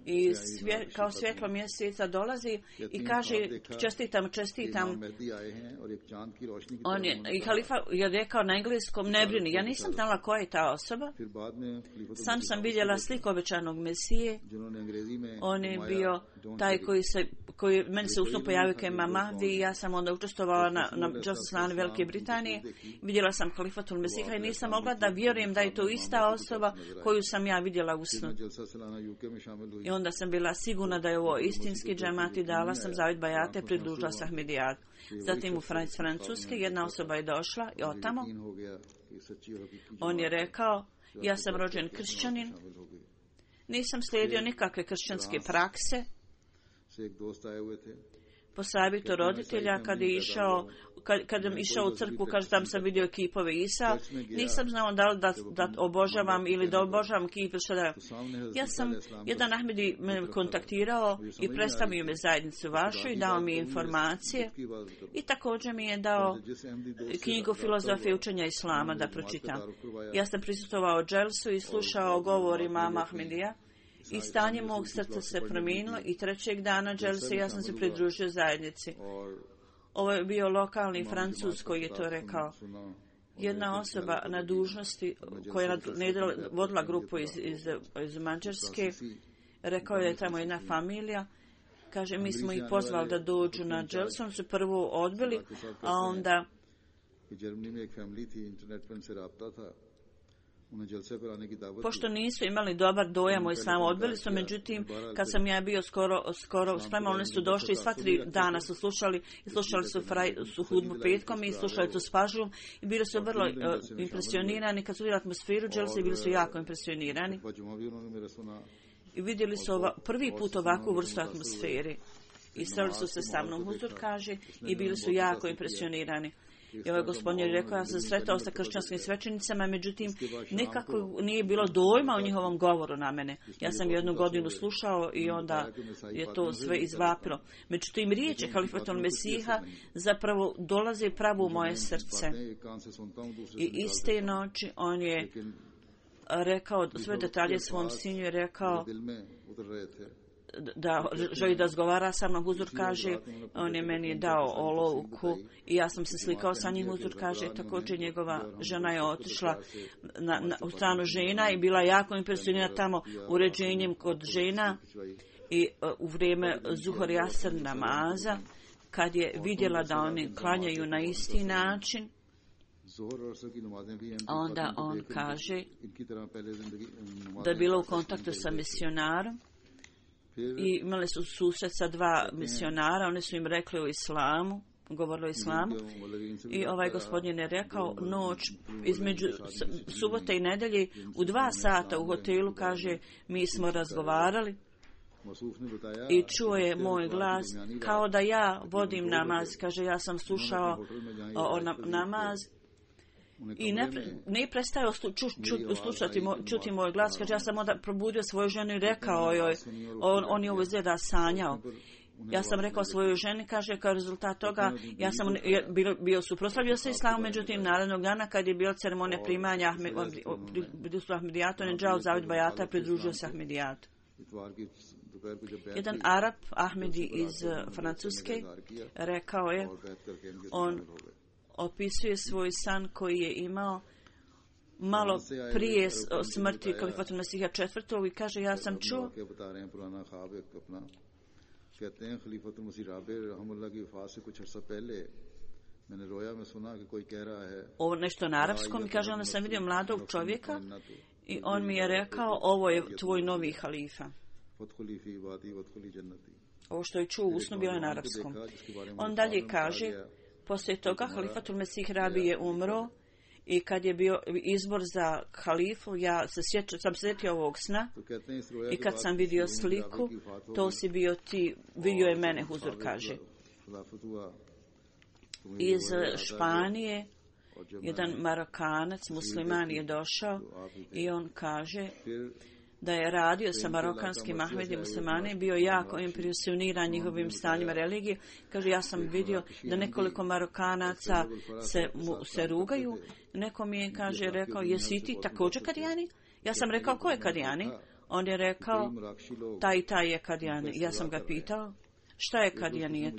C: i svje, kao svjetlo mjeseca dolazi i kaže: čestitam, čestitam. On je, i halifa je rekao na engleskom: ne brini. Ja nisam znala koja je ta osoba. Sam sam vidjela sliku obećanog Mesije. On je bio taj koji se, koji meni se usno pojavio kao Imam Mahdi i ja sam onda učestvovala na, na dželsi slane Velike Britanije. Vidjela sam halifatul Mesiha i nisam mogla da vjerujem da je to ista osoba koju sam ja vidjela usno. I onda sam bila sigurna da je ovo istinski džemat i dala sam zavid bajate, pridružila se Ahmedijatu. Zatim u Francuske jedna osoba je došla i otamo. On je rekao: ja sam rođen kršćanin, nisam slijedio nikakve kršćanske prakse. Po savjetu roditelja, kad je išao, kad, kad je išao u crkvu, kaže: tam sam vidio kipove Isa, nisam znao da li da, da obožavam ili da obožavam kip. Da. Ja sam, jedan Ahmedi me kontaktirao i predstavio me zajednicu vašu i dao mi informacije i također mi je dao knjigu Filozofije učenja Islama da pročitam. Ja sam prisustvovao dželsu i slušao govor imama Ahmedija. I stanje mog srca se promijenilo i trećeg dana dželse ja sam se pridružio zajednici. Ovo je bio lokalni Francuz koji je to rekao. Jedna osoba na dužnosti koja je vodila grupu iz, iz, iz Mađarske, rekao je da je tamo jedna familija. Kaže: mi smo ih pozvali da dođu na dželsu, su prvo odbili, a onda pošto nisu imali dobar dojam o islamu, odbili su. Međutim, kad sam ja bio skoro, skoro sprema, oni su došli i sva tri dana su slušali i slušali su, fraj, su hudbu petkom i slušali su s pažnjom i bili su vrlo uh, impresionirani. Kad su vidjeli atmosferu dželse, bili su jako impresionirani i vidjeli su ova, prvi put ovakvu vrstu atmosfere i sreli su se sa mnom, huzur kaže, i bili su jako impresionirani. I ovaj gospodin je rekao: ja sam sretao sa kršćanskim svećenicama, međutim nikako nije bilo dojma o njihovom govoru na mene. Ja sam jednu godinu slušao i onda je to sve izvapilo. Međutim, riječi halifatul Mesiha zapravo dolaze pravo u moje srce. I iste noći on je rekao sve detalje svom sinu i rekao da želi da razgovara sa mnom. Huzur kaže: on je meni dao olovku i ja sam se slikao sa njim. Huzur kaže: također njegova žena je otišla na, na, u stranu žena i bila jako impresionirana tamo uređenjem kod žena i uh, u vrijeme Zuhor i Asr namaza, kad je vidjela da oni klanjaju na isti način Onda on kaže da je bilo u kontaktu sa misionarom i imali su susret sa dva misionara, oni su im rekli o islamu, govorili o islamu i ovaj gospodin je rekao noć između subote i nedelje u dva sata u hotelu, kaže, mi smo razgovarali i čuo je moj glas kao da ja vodim namaz, kaže, ja sam slušao o, o namaz i ne, ne prestao ču, ču, slušati, čuti moj glas, kaže, ja sam onda probudio svoju ženu i rekao joj, on, on je ovo izgleda sanjao. Ja sam rekao svojoj ženi, kaže, kao rezultat toga, ja sam bio, bio suprotstavio se islamu, međutim, narednog dana, kad je bio ceremonija primanja Ahmedijata, on je džao Zavid Bajata, pridružio se Ahmedijatu. Jedan Arab, Ahmedi iz Francuske, rekao je, on opisuje svoj san koji je imao malo prije smrti Kalifatul Mesiha četvrtog i kaže, ja sam čuo
B: कहते हैं खलीफतुल मसीह राबे रहमतुल्लाह की वफात से कुछ अर्सा पहले मैंने रोया में सुना कि कोई कह रहा है
C: ovo nešto na arapskom, kaže, onda sam vidio mladog čovjeka i on mi je rekao, ovo je tvoj novi halifa. Ovo što je čuo u snu bilo je na arapskom. On dalje kaže, poslije toga Halifatul Mesih Rabi je umro i kad je bio izbor za halifu, ja se sjećam, sam sjetio ovog sna i kad sam vidio sliku, to si bio ti, vidio je mene, Huzur kaže. Iz Španije jedan Marokanac, musliman je došao i on kaže da je radio sa marokanskim Ahmedi muslimani, bio jako impresioniran njihovim stanjima religije. Kaže, ja sam vidio da nekoliko Marokanaca se, mu, se rugaju. Neko mi je, kaže, rekao, jesi ti također Kadijani? Ja sam rekao, ko je Kadijani? On je rekao, taj i taj je Kadijani. Ja sam ga pitao, šta je Kadijanijet?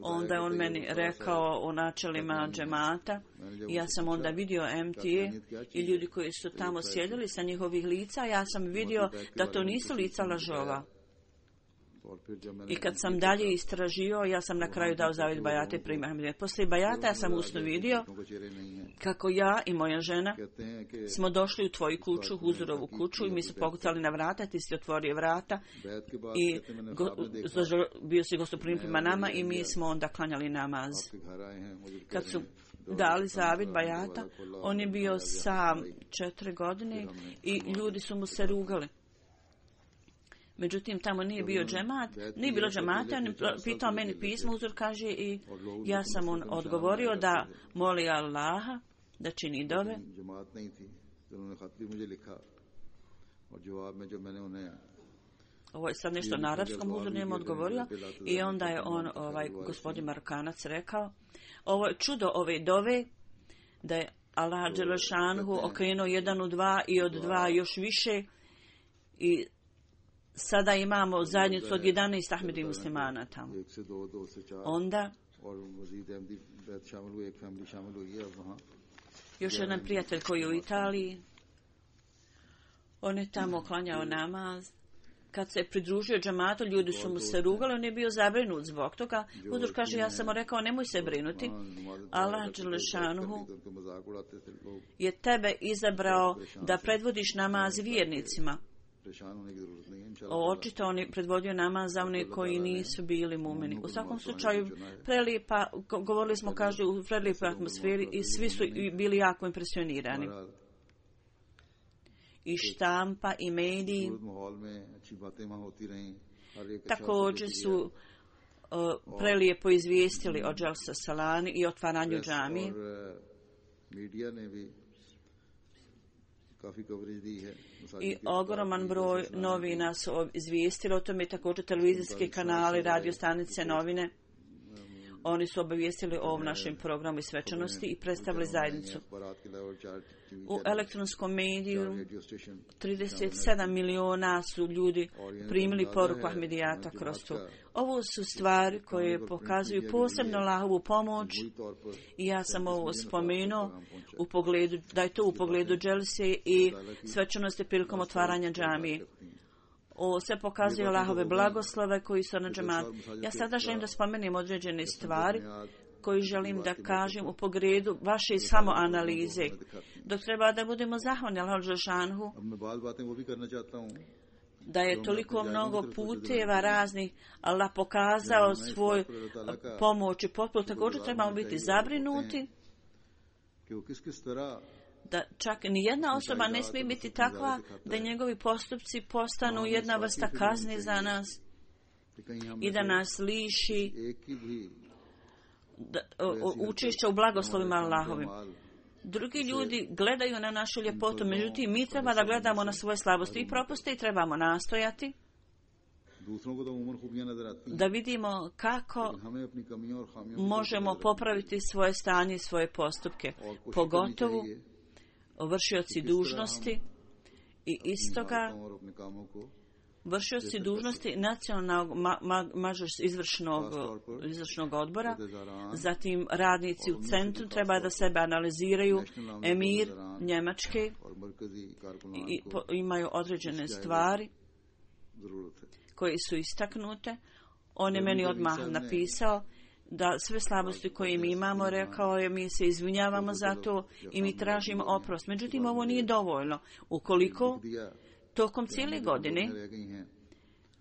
C: Onda je on meni rekao o načelima džemata i ja sam onda vidio M T A i ljudi koji su tamo sjedili sa njihovih lica, ja sam vidio da to nisu lica lažova. I kad sam dalje istražio, ja sam na kraju dao Zavid Bajate prima Ahmedijat. Poslije Bajata ja sam usno vidio kako ja i moja žena smo došli u tvoju kuću, Huzurovu kuću, i mi su pokucali na vrata, ti si otvorio vrata i go, bio si gostoprimljen prema nama i mi smo onda klanjali namaz. Kad su dali Zavid Bajata, on je bio sam četiri godine i ljudi su mu se rugali. Međutim, tamo nije bio džemat, nije bilo džemata, on je pitao meni pismo, Uzor kaže, i ja sam on odgovorio da moli Allaha, da čini dove. Ovo je sad nešto na arapskom, Uzor nije mu odgovorio i onda je on, ovaj gospodin Marokanac, rekao, ovo je čudo ove dove, da je Allah Đelešanhu okrenuo jedan u dva i od dva još više i sada imamo zajednicu od jedanaest Ahmedi muslimana tamo. Onda još jedan prijatelj koji je u Italiji, on je tamo klanjao namaz. Kad se je pridružio džamatu, ljudi su mu se rugali, on je bio zabrinut zbog toga. Huzur kaže, ja sam mu rekao, nemoj se brinuti. Allah Đelešanuhu je tebe izabrao da predvodiš namaz vjernicima. Očito on je predvodio namaz za one koji nisu bili mumini. U svakom slučaju, prelijepa, govorili smo, kaže, u prelijepoj atmosferi i svi su bili jako impresionirani. I štampa i mediji također su uh, prelijepo izvijestili o Dželsa Salani i otvaranju džamije. I ogroman broj novina su izvijestili o tome, također televizijski kanali, radio stanice, novine. Oni su obavijestili o ovom našem programu i svečanosti i predstavili zajednicu. U elektronskom mediju trideset sedam miliona su ljudi primili poruku Ahmedijata kroz to. Ovo su stvari koje pokazuju posebno Allahovu pomoć i ja sam ovo spomenuo u pogledu, da je to u pogledu dželse i svečanosti prilikom otvaranja džamije. O, sve pokazuje Allahove blagoslove koji su na džematu. Ja sada želim da spomenem određene stvari koji želim da kažem u pogledu vaše samoanalize. Dok treba da budemo zahvalni Allahu dželešanu da je toliko mnogo puteva raznih Allah pokazao svoj pomoć i potporu, također trebamo biti zabrinuti da čak ni jedna osoba ne smije biti takva da njegovi postupci postanu jedna vrsta kazne za nas i da nas liši da, o, učešća u blagoslovima Allahovim. Drugi ljudi gledaju na našu ljepotu, međutim mi treba da gledamo na svoje slabosti i propuste i trebamo nastojati da vidimo kako možemo popraviti svoje stanje i svoje postupke, pogotovo vršioci dužnosti i istoga vršioci dužnosti nacionalnog ma, ma, mažor, izvršnog, izvršnog odbora, zatim radnici u centru treba da sebe analiziraju, emir Njemačke i, po, imaju određene stvari koje su istaknute. On je meni odmah napisao da sve slabosti koje mi imamo, rekao je, mi se izvinjavamo za to i mi tražimo oprost. Međutim, ovo nije dovoljno. Ukoliko tokom cijele godine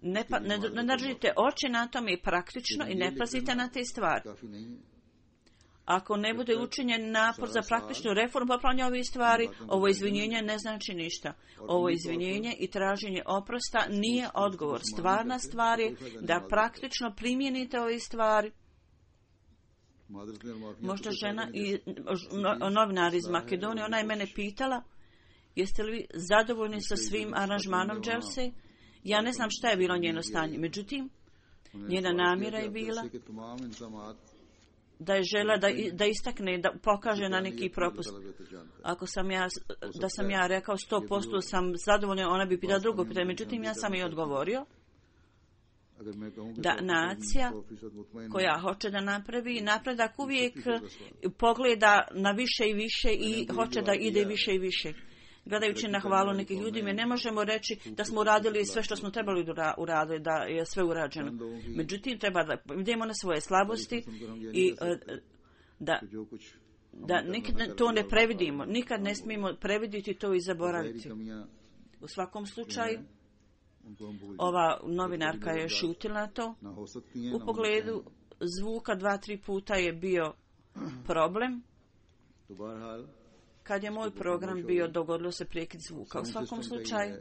C: ne, pa, ne, ne držite oči na tome i praktično i ne pazite na te stvari. Ako ne bude učinjen napor za praktičnu reformu popravljanja ovih stvari, ovo izvinjenje ne znači ništa. Ovo izvinjenje i traženje oprosta nije odgovor. Stvarna stvar je da praktično primijenite ove stvari. Možda žena i novinar iz Makedonije, ona je mene pitala, jeste li zadovoljni sa svim aranžmanom dželse? Ja ne znam šta je bilo njeno stanje. Međutim, njena namjera je bila da je žela da, da istakne, da pokaže na neki propust. Ako sam ja, da sam ja rekao sto posto sam zadovoljna, ona bi pitala drugo pitanje. Međutim, ja sam i odgovorio da nacija koja hoće da napravi napredak uvijek pogleda na više i više i hoće da ide više i više. Gledajući na hvalu nekih ljudi, mi ne možemo reći da smo uradili sve što smo trebali uraditi, da je sve urađeno. Međutim, treba da idemo na svoje slabosti i da, da nikad to ne previdimo. Nikad ne smijemo previditi to i zaboraviti. U svakom slučaju, ova novinarka je šutila na to. U pogledu zvuka dva, tri puta je bio problem. Kad je moj program bio, dogodilo se prekid zvuka. U svakom slučaju,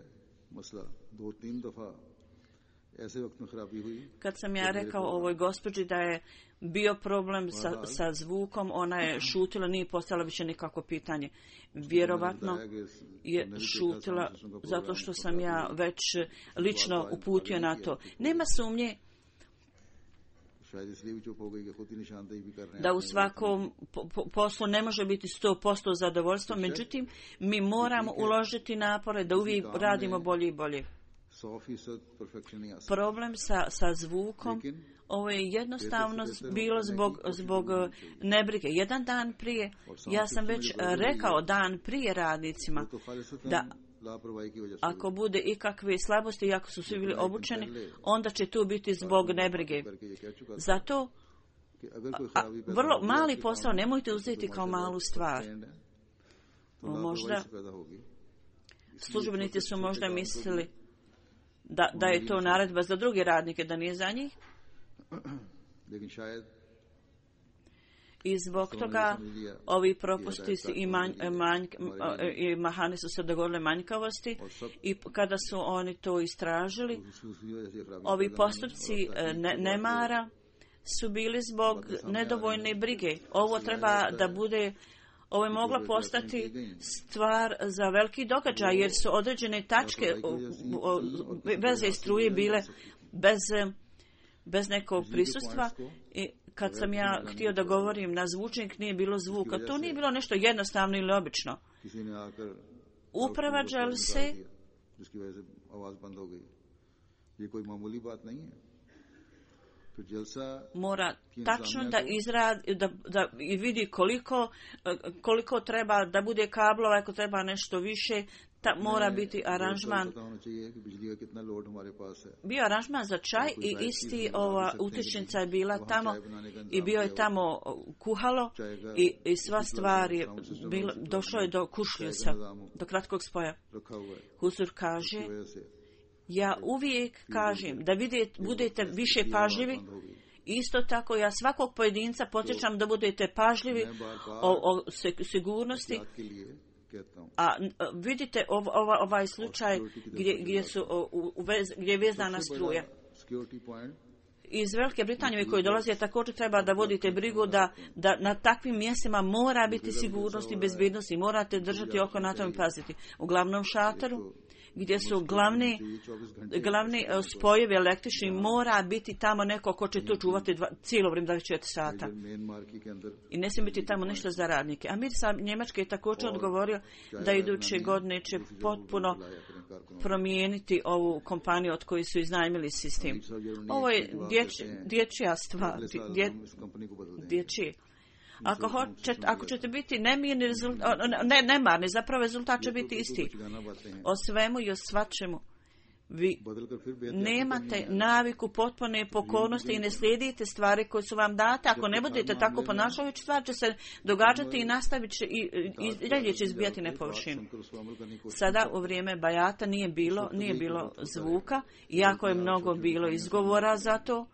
C: kad sam ja rekao ovoj gospođi da je bio problem sa, sa zvukom, ona je šutila, nije postavila više nikako pitanje. Vjerovatno je šutila zato što sam ja već lično uputio na to. Nema sumnje da u svakom poslu ne može biti sto posto zadovoljstvo, međutim, mi moramo uložiti napore da uvijek radimo bolje i bolje. Problem sa, sa zvukom, ovo je jednostavno bilo zbog, zbog nebrige. Jedan dan prije, ja sam već rekao dan prije radnicima da ako bude ikakve slabosti i ako su svi bili obučeni, onda će tu biti zbog nebrige. Zato a, a, vrlo mali posao nemojte uzeti kao malu stvar. Možda službenici su možda mislili da, da je to naredba za druge radnike, da nije za njih. I zbog toga ovi propusti i, manj, manj, i mahane su se dogodile manjkavosti i kada su oni to istražili, ovi postupci ne, nemara su bili zbog nedovoljne brige. Ovo treba da bude, ovo je mogla postati stvar za veliki događaj, jer su određene tačke veze struje bile bez, bez nekog prisustva i kad sam ja htio da govorim na zvučnik, nije bilo zvuka. To nije bilo nešto jednostavno ili obično. Uprava dželse mora tačno da izradi, da, da vidi koliko, koliko treba da bude kablova, ako treba nešto više, ta mora biti aranžman. Bio aranžman za čaj i isti ova utičnica je bila tamo i bio je tamo kuhalo i, i sva stvar je bilo, došlo je do kušljusa, do kratkog spoja. Huzur kaže, ja uvijek kažem da vidite, budete više pažljivi. Isto tako ja svakog pojedinca podsjećam da budete pažljivi o, o sigurnosti. A vidite ov, ova, ovaj slučaj gdje, gdje, su, u, u vez, gdje je vezana struja. Iz Velike Britanije koji dolaze također treba da vodite brigu da, da na takvim mjestima mora biti sigurnost i bezbednost i morate držati oko na tom i paziti. U glavnom šatoru gdje su glavni, glavni spojevi električni mora biti tamo neko ko će to čuvati dva, cijelo vrijeme dvadeset četiri sata. I ne smije biti tamo ništa za radnike. Amir sa Njemačke je također odgovorio da iduće godine će potpuno promijeniti ovu kompaniju od koje su iznajmili sistem. Ovo je dječ, dječja stvar. Dje, dječje. Ako, hoće, ako ćete biti nemirni, rezultat, ne, nemarni, zapravo rezultat će biti isti. O svemu i o svačemu. Vi nemate naviku potpune pokornosti i ne slijedite stvari koje su vam date. Ako ne budete tako ponašajući, stvar će se događati i nastavit će i, i, i dalje će izbijati na površinu. Sada u vrijeme bajata nije bilo, nije bilo zvuka, iako je mnogo bilo izgovora za to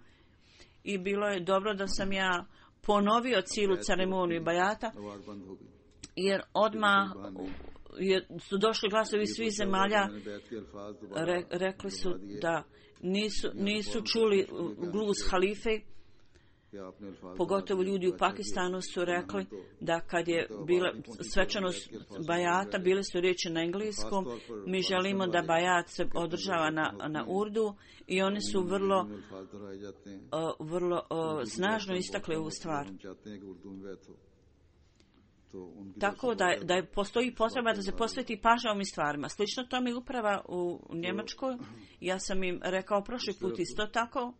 C: i bilo je dobro da sam ja ponovio cijelu ceremoniju bajata, jer odmah je, su došli glasovi svih zemalja, re, rekli su da nisu, nisu čuli gluz halife, pogotovo ljudi u Pakistanu su rekli da kad je bila svečanost bajata, bile su riječi na engleskom, mi želimo da bajat se održava na, na urdu i oni su vrlo, uh, vrlo uh, snažno istakli ovu stvar. Tako da, da postoji potreba da se posveti pažnja ovim stvarima. Slično to mi uprava u Njemačkoj. Ja sam im rekao prošli put isto tako.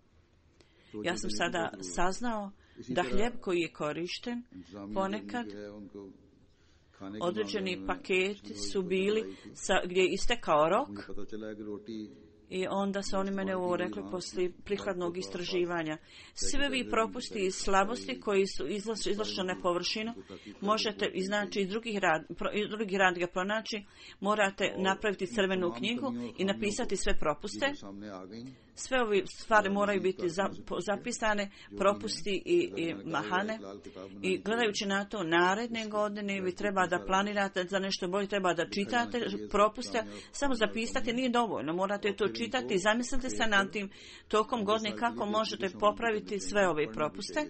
C: Ja sam sada saznao da hljeb koji je korišten ponekad određeni paketi su bili sa, gdje je istekao rok i onda su oni mene ovo rekli poslije prikladnog istraživanja. Sve vi propusti i slabosti koji su izlašli na površinu možete iznaći iz drugih, rad, iz drugih radnika pronaći, morate napraviti crvenu knjigu i napisati sve propuste. Sve ove stvari moraju biti zapisane, propusti i, i mahane. I gledajući na to naredne godine, vi treba da planirate za nešto bolje, treba da čitate propuste, samo zapisati nije dovoljno, morate to čitati i zamislite se nad tim tokom godine kako možete popraviti sve ove propuste.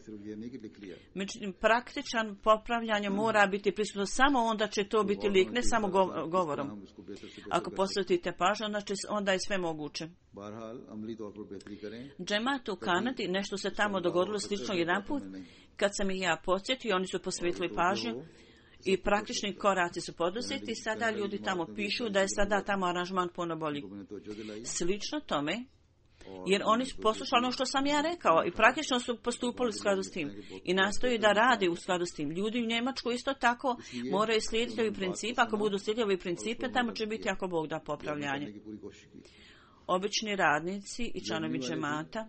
C: Međutim, praktičan popravljanje mora biti prisutno samo onda će to biti lijek, ne samo govorom. Ako posvetite pažnju, onda, će, onda je sve moguće. Džemat u Kanadi, nešto se tamo dogodilo slično jedan put, kad sam ih ja podsjetio, oni su posvetili pažnju i praktični koraci su poduzeti i sada ljudi tamo pišu da je sada tamo aranžman puno bolji. Slično tome, jer oni su poslušali ono što sam ja rekao i praktično su postupali u skladu s tim i nastoji da rade u skladu s tim. Ljudi u Njemačkoj isto tako moraju slijediti ovi principe, ako budu slijedili ovi principe, tamo će biti ako Bog da popravljanje. Obični radnici i članovi džemata,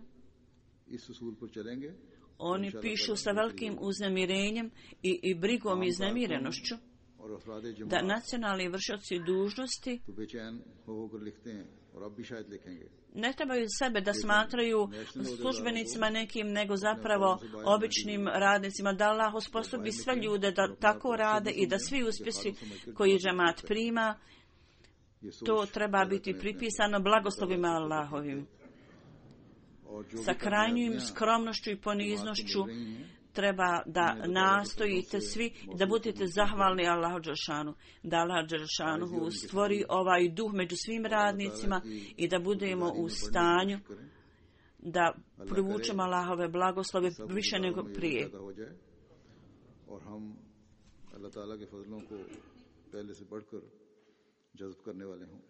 C: oni pišu sa velikim uznemirenjem i, i brigom i uznemirenošću da nacionalni vršioci dužnosti ne trebaju sebe da smatraju službenicima nekim, nego zapravo običnim radnicima, da Allah osposobi sve ljude da tako rade i da svi uspjesi koji džemat prima, to treba biti pripisano blagoslovima Allahovim. Sa krajnjim skromnošću i poniznošću treba da nastojite svi da budete zahvalni Allahu dželešanu, da Allah dželešanu stvori ovaj duh među svim radnicima i da budemo u stanju da privučemo Allahove blagoslove više nego prije.
B: जज्ब करने वाले हों।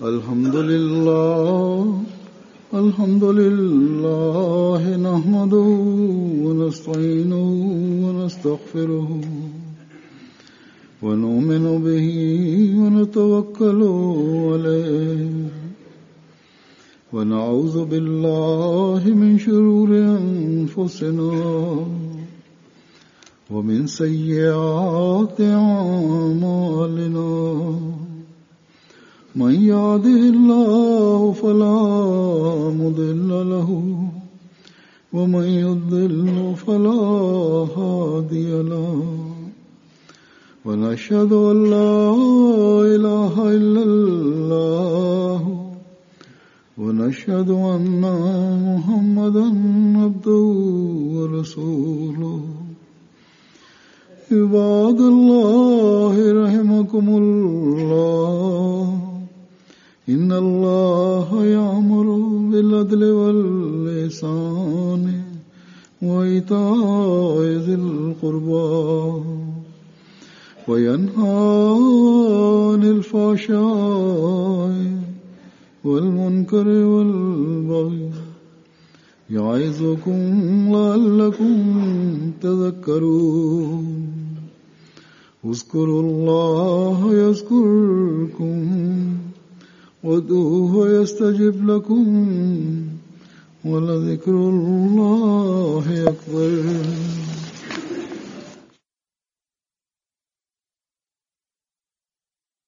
B: अल्हम्दुलिल्लाह الحمد لله نحمده ونستعينه ونستغفره ونؤمن به ونتوكل عليه ونعوذ بالله من شرور أنفسنا ومن سيئات أعمالنا من يهده الله فلا مضل له ومن يضلل فلا هادي له ونشهد أن لا إله إلا الله ونشهد أن محمدا عبده ورسوله عباد الله رحمكم الله إن الله يأمر بالعدل والإحسان وإيتاء ذي القربى وينهى عن الفحشاء والمنكر والبغي يعظكم لعلكم تذكرون اذكروا الله يذكركم وادعوه يستجب لكم ولذكر الله أكبر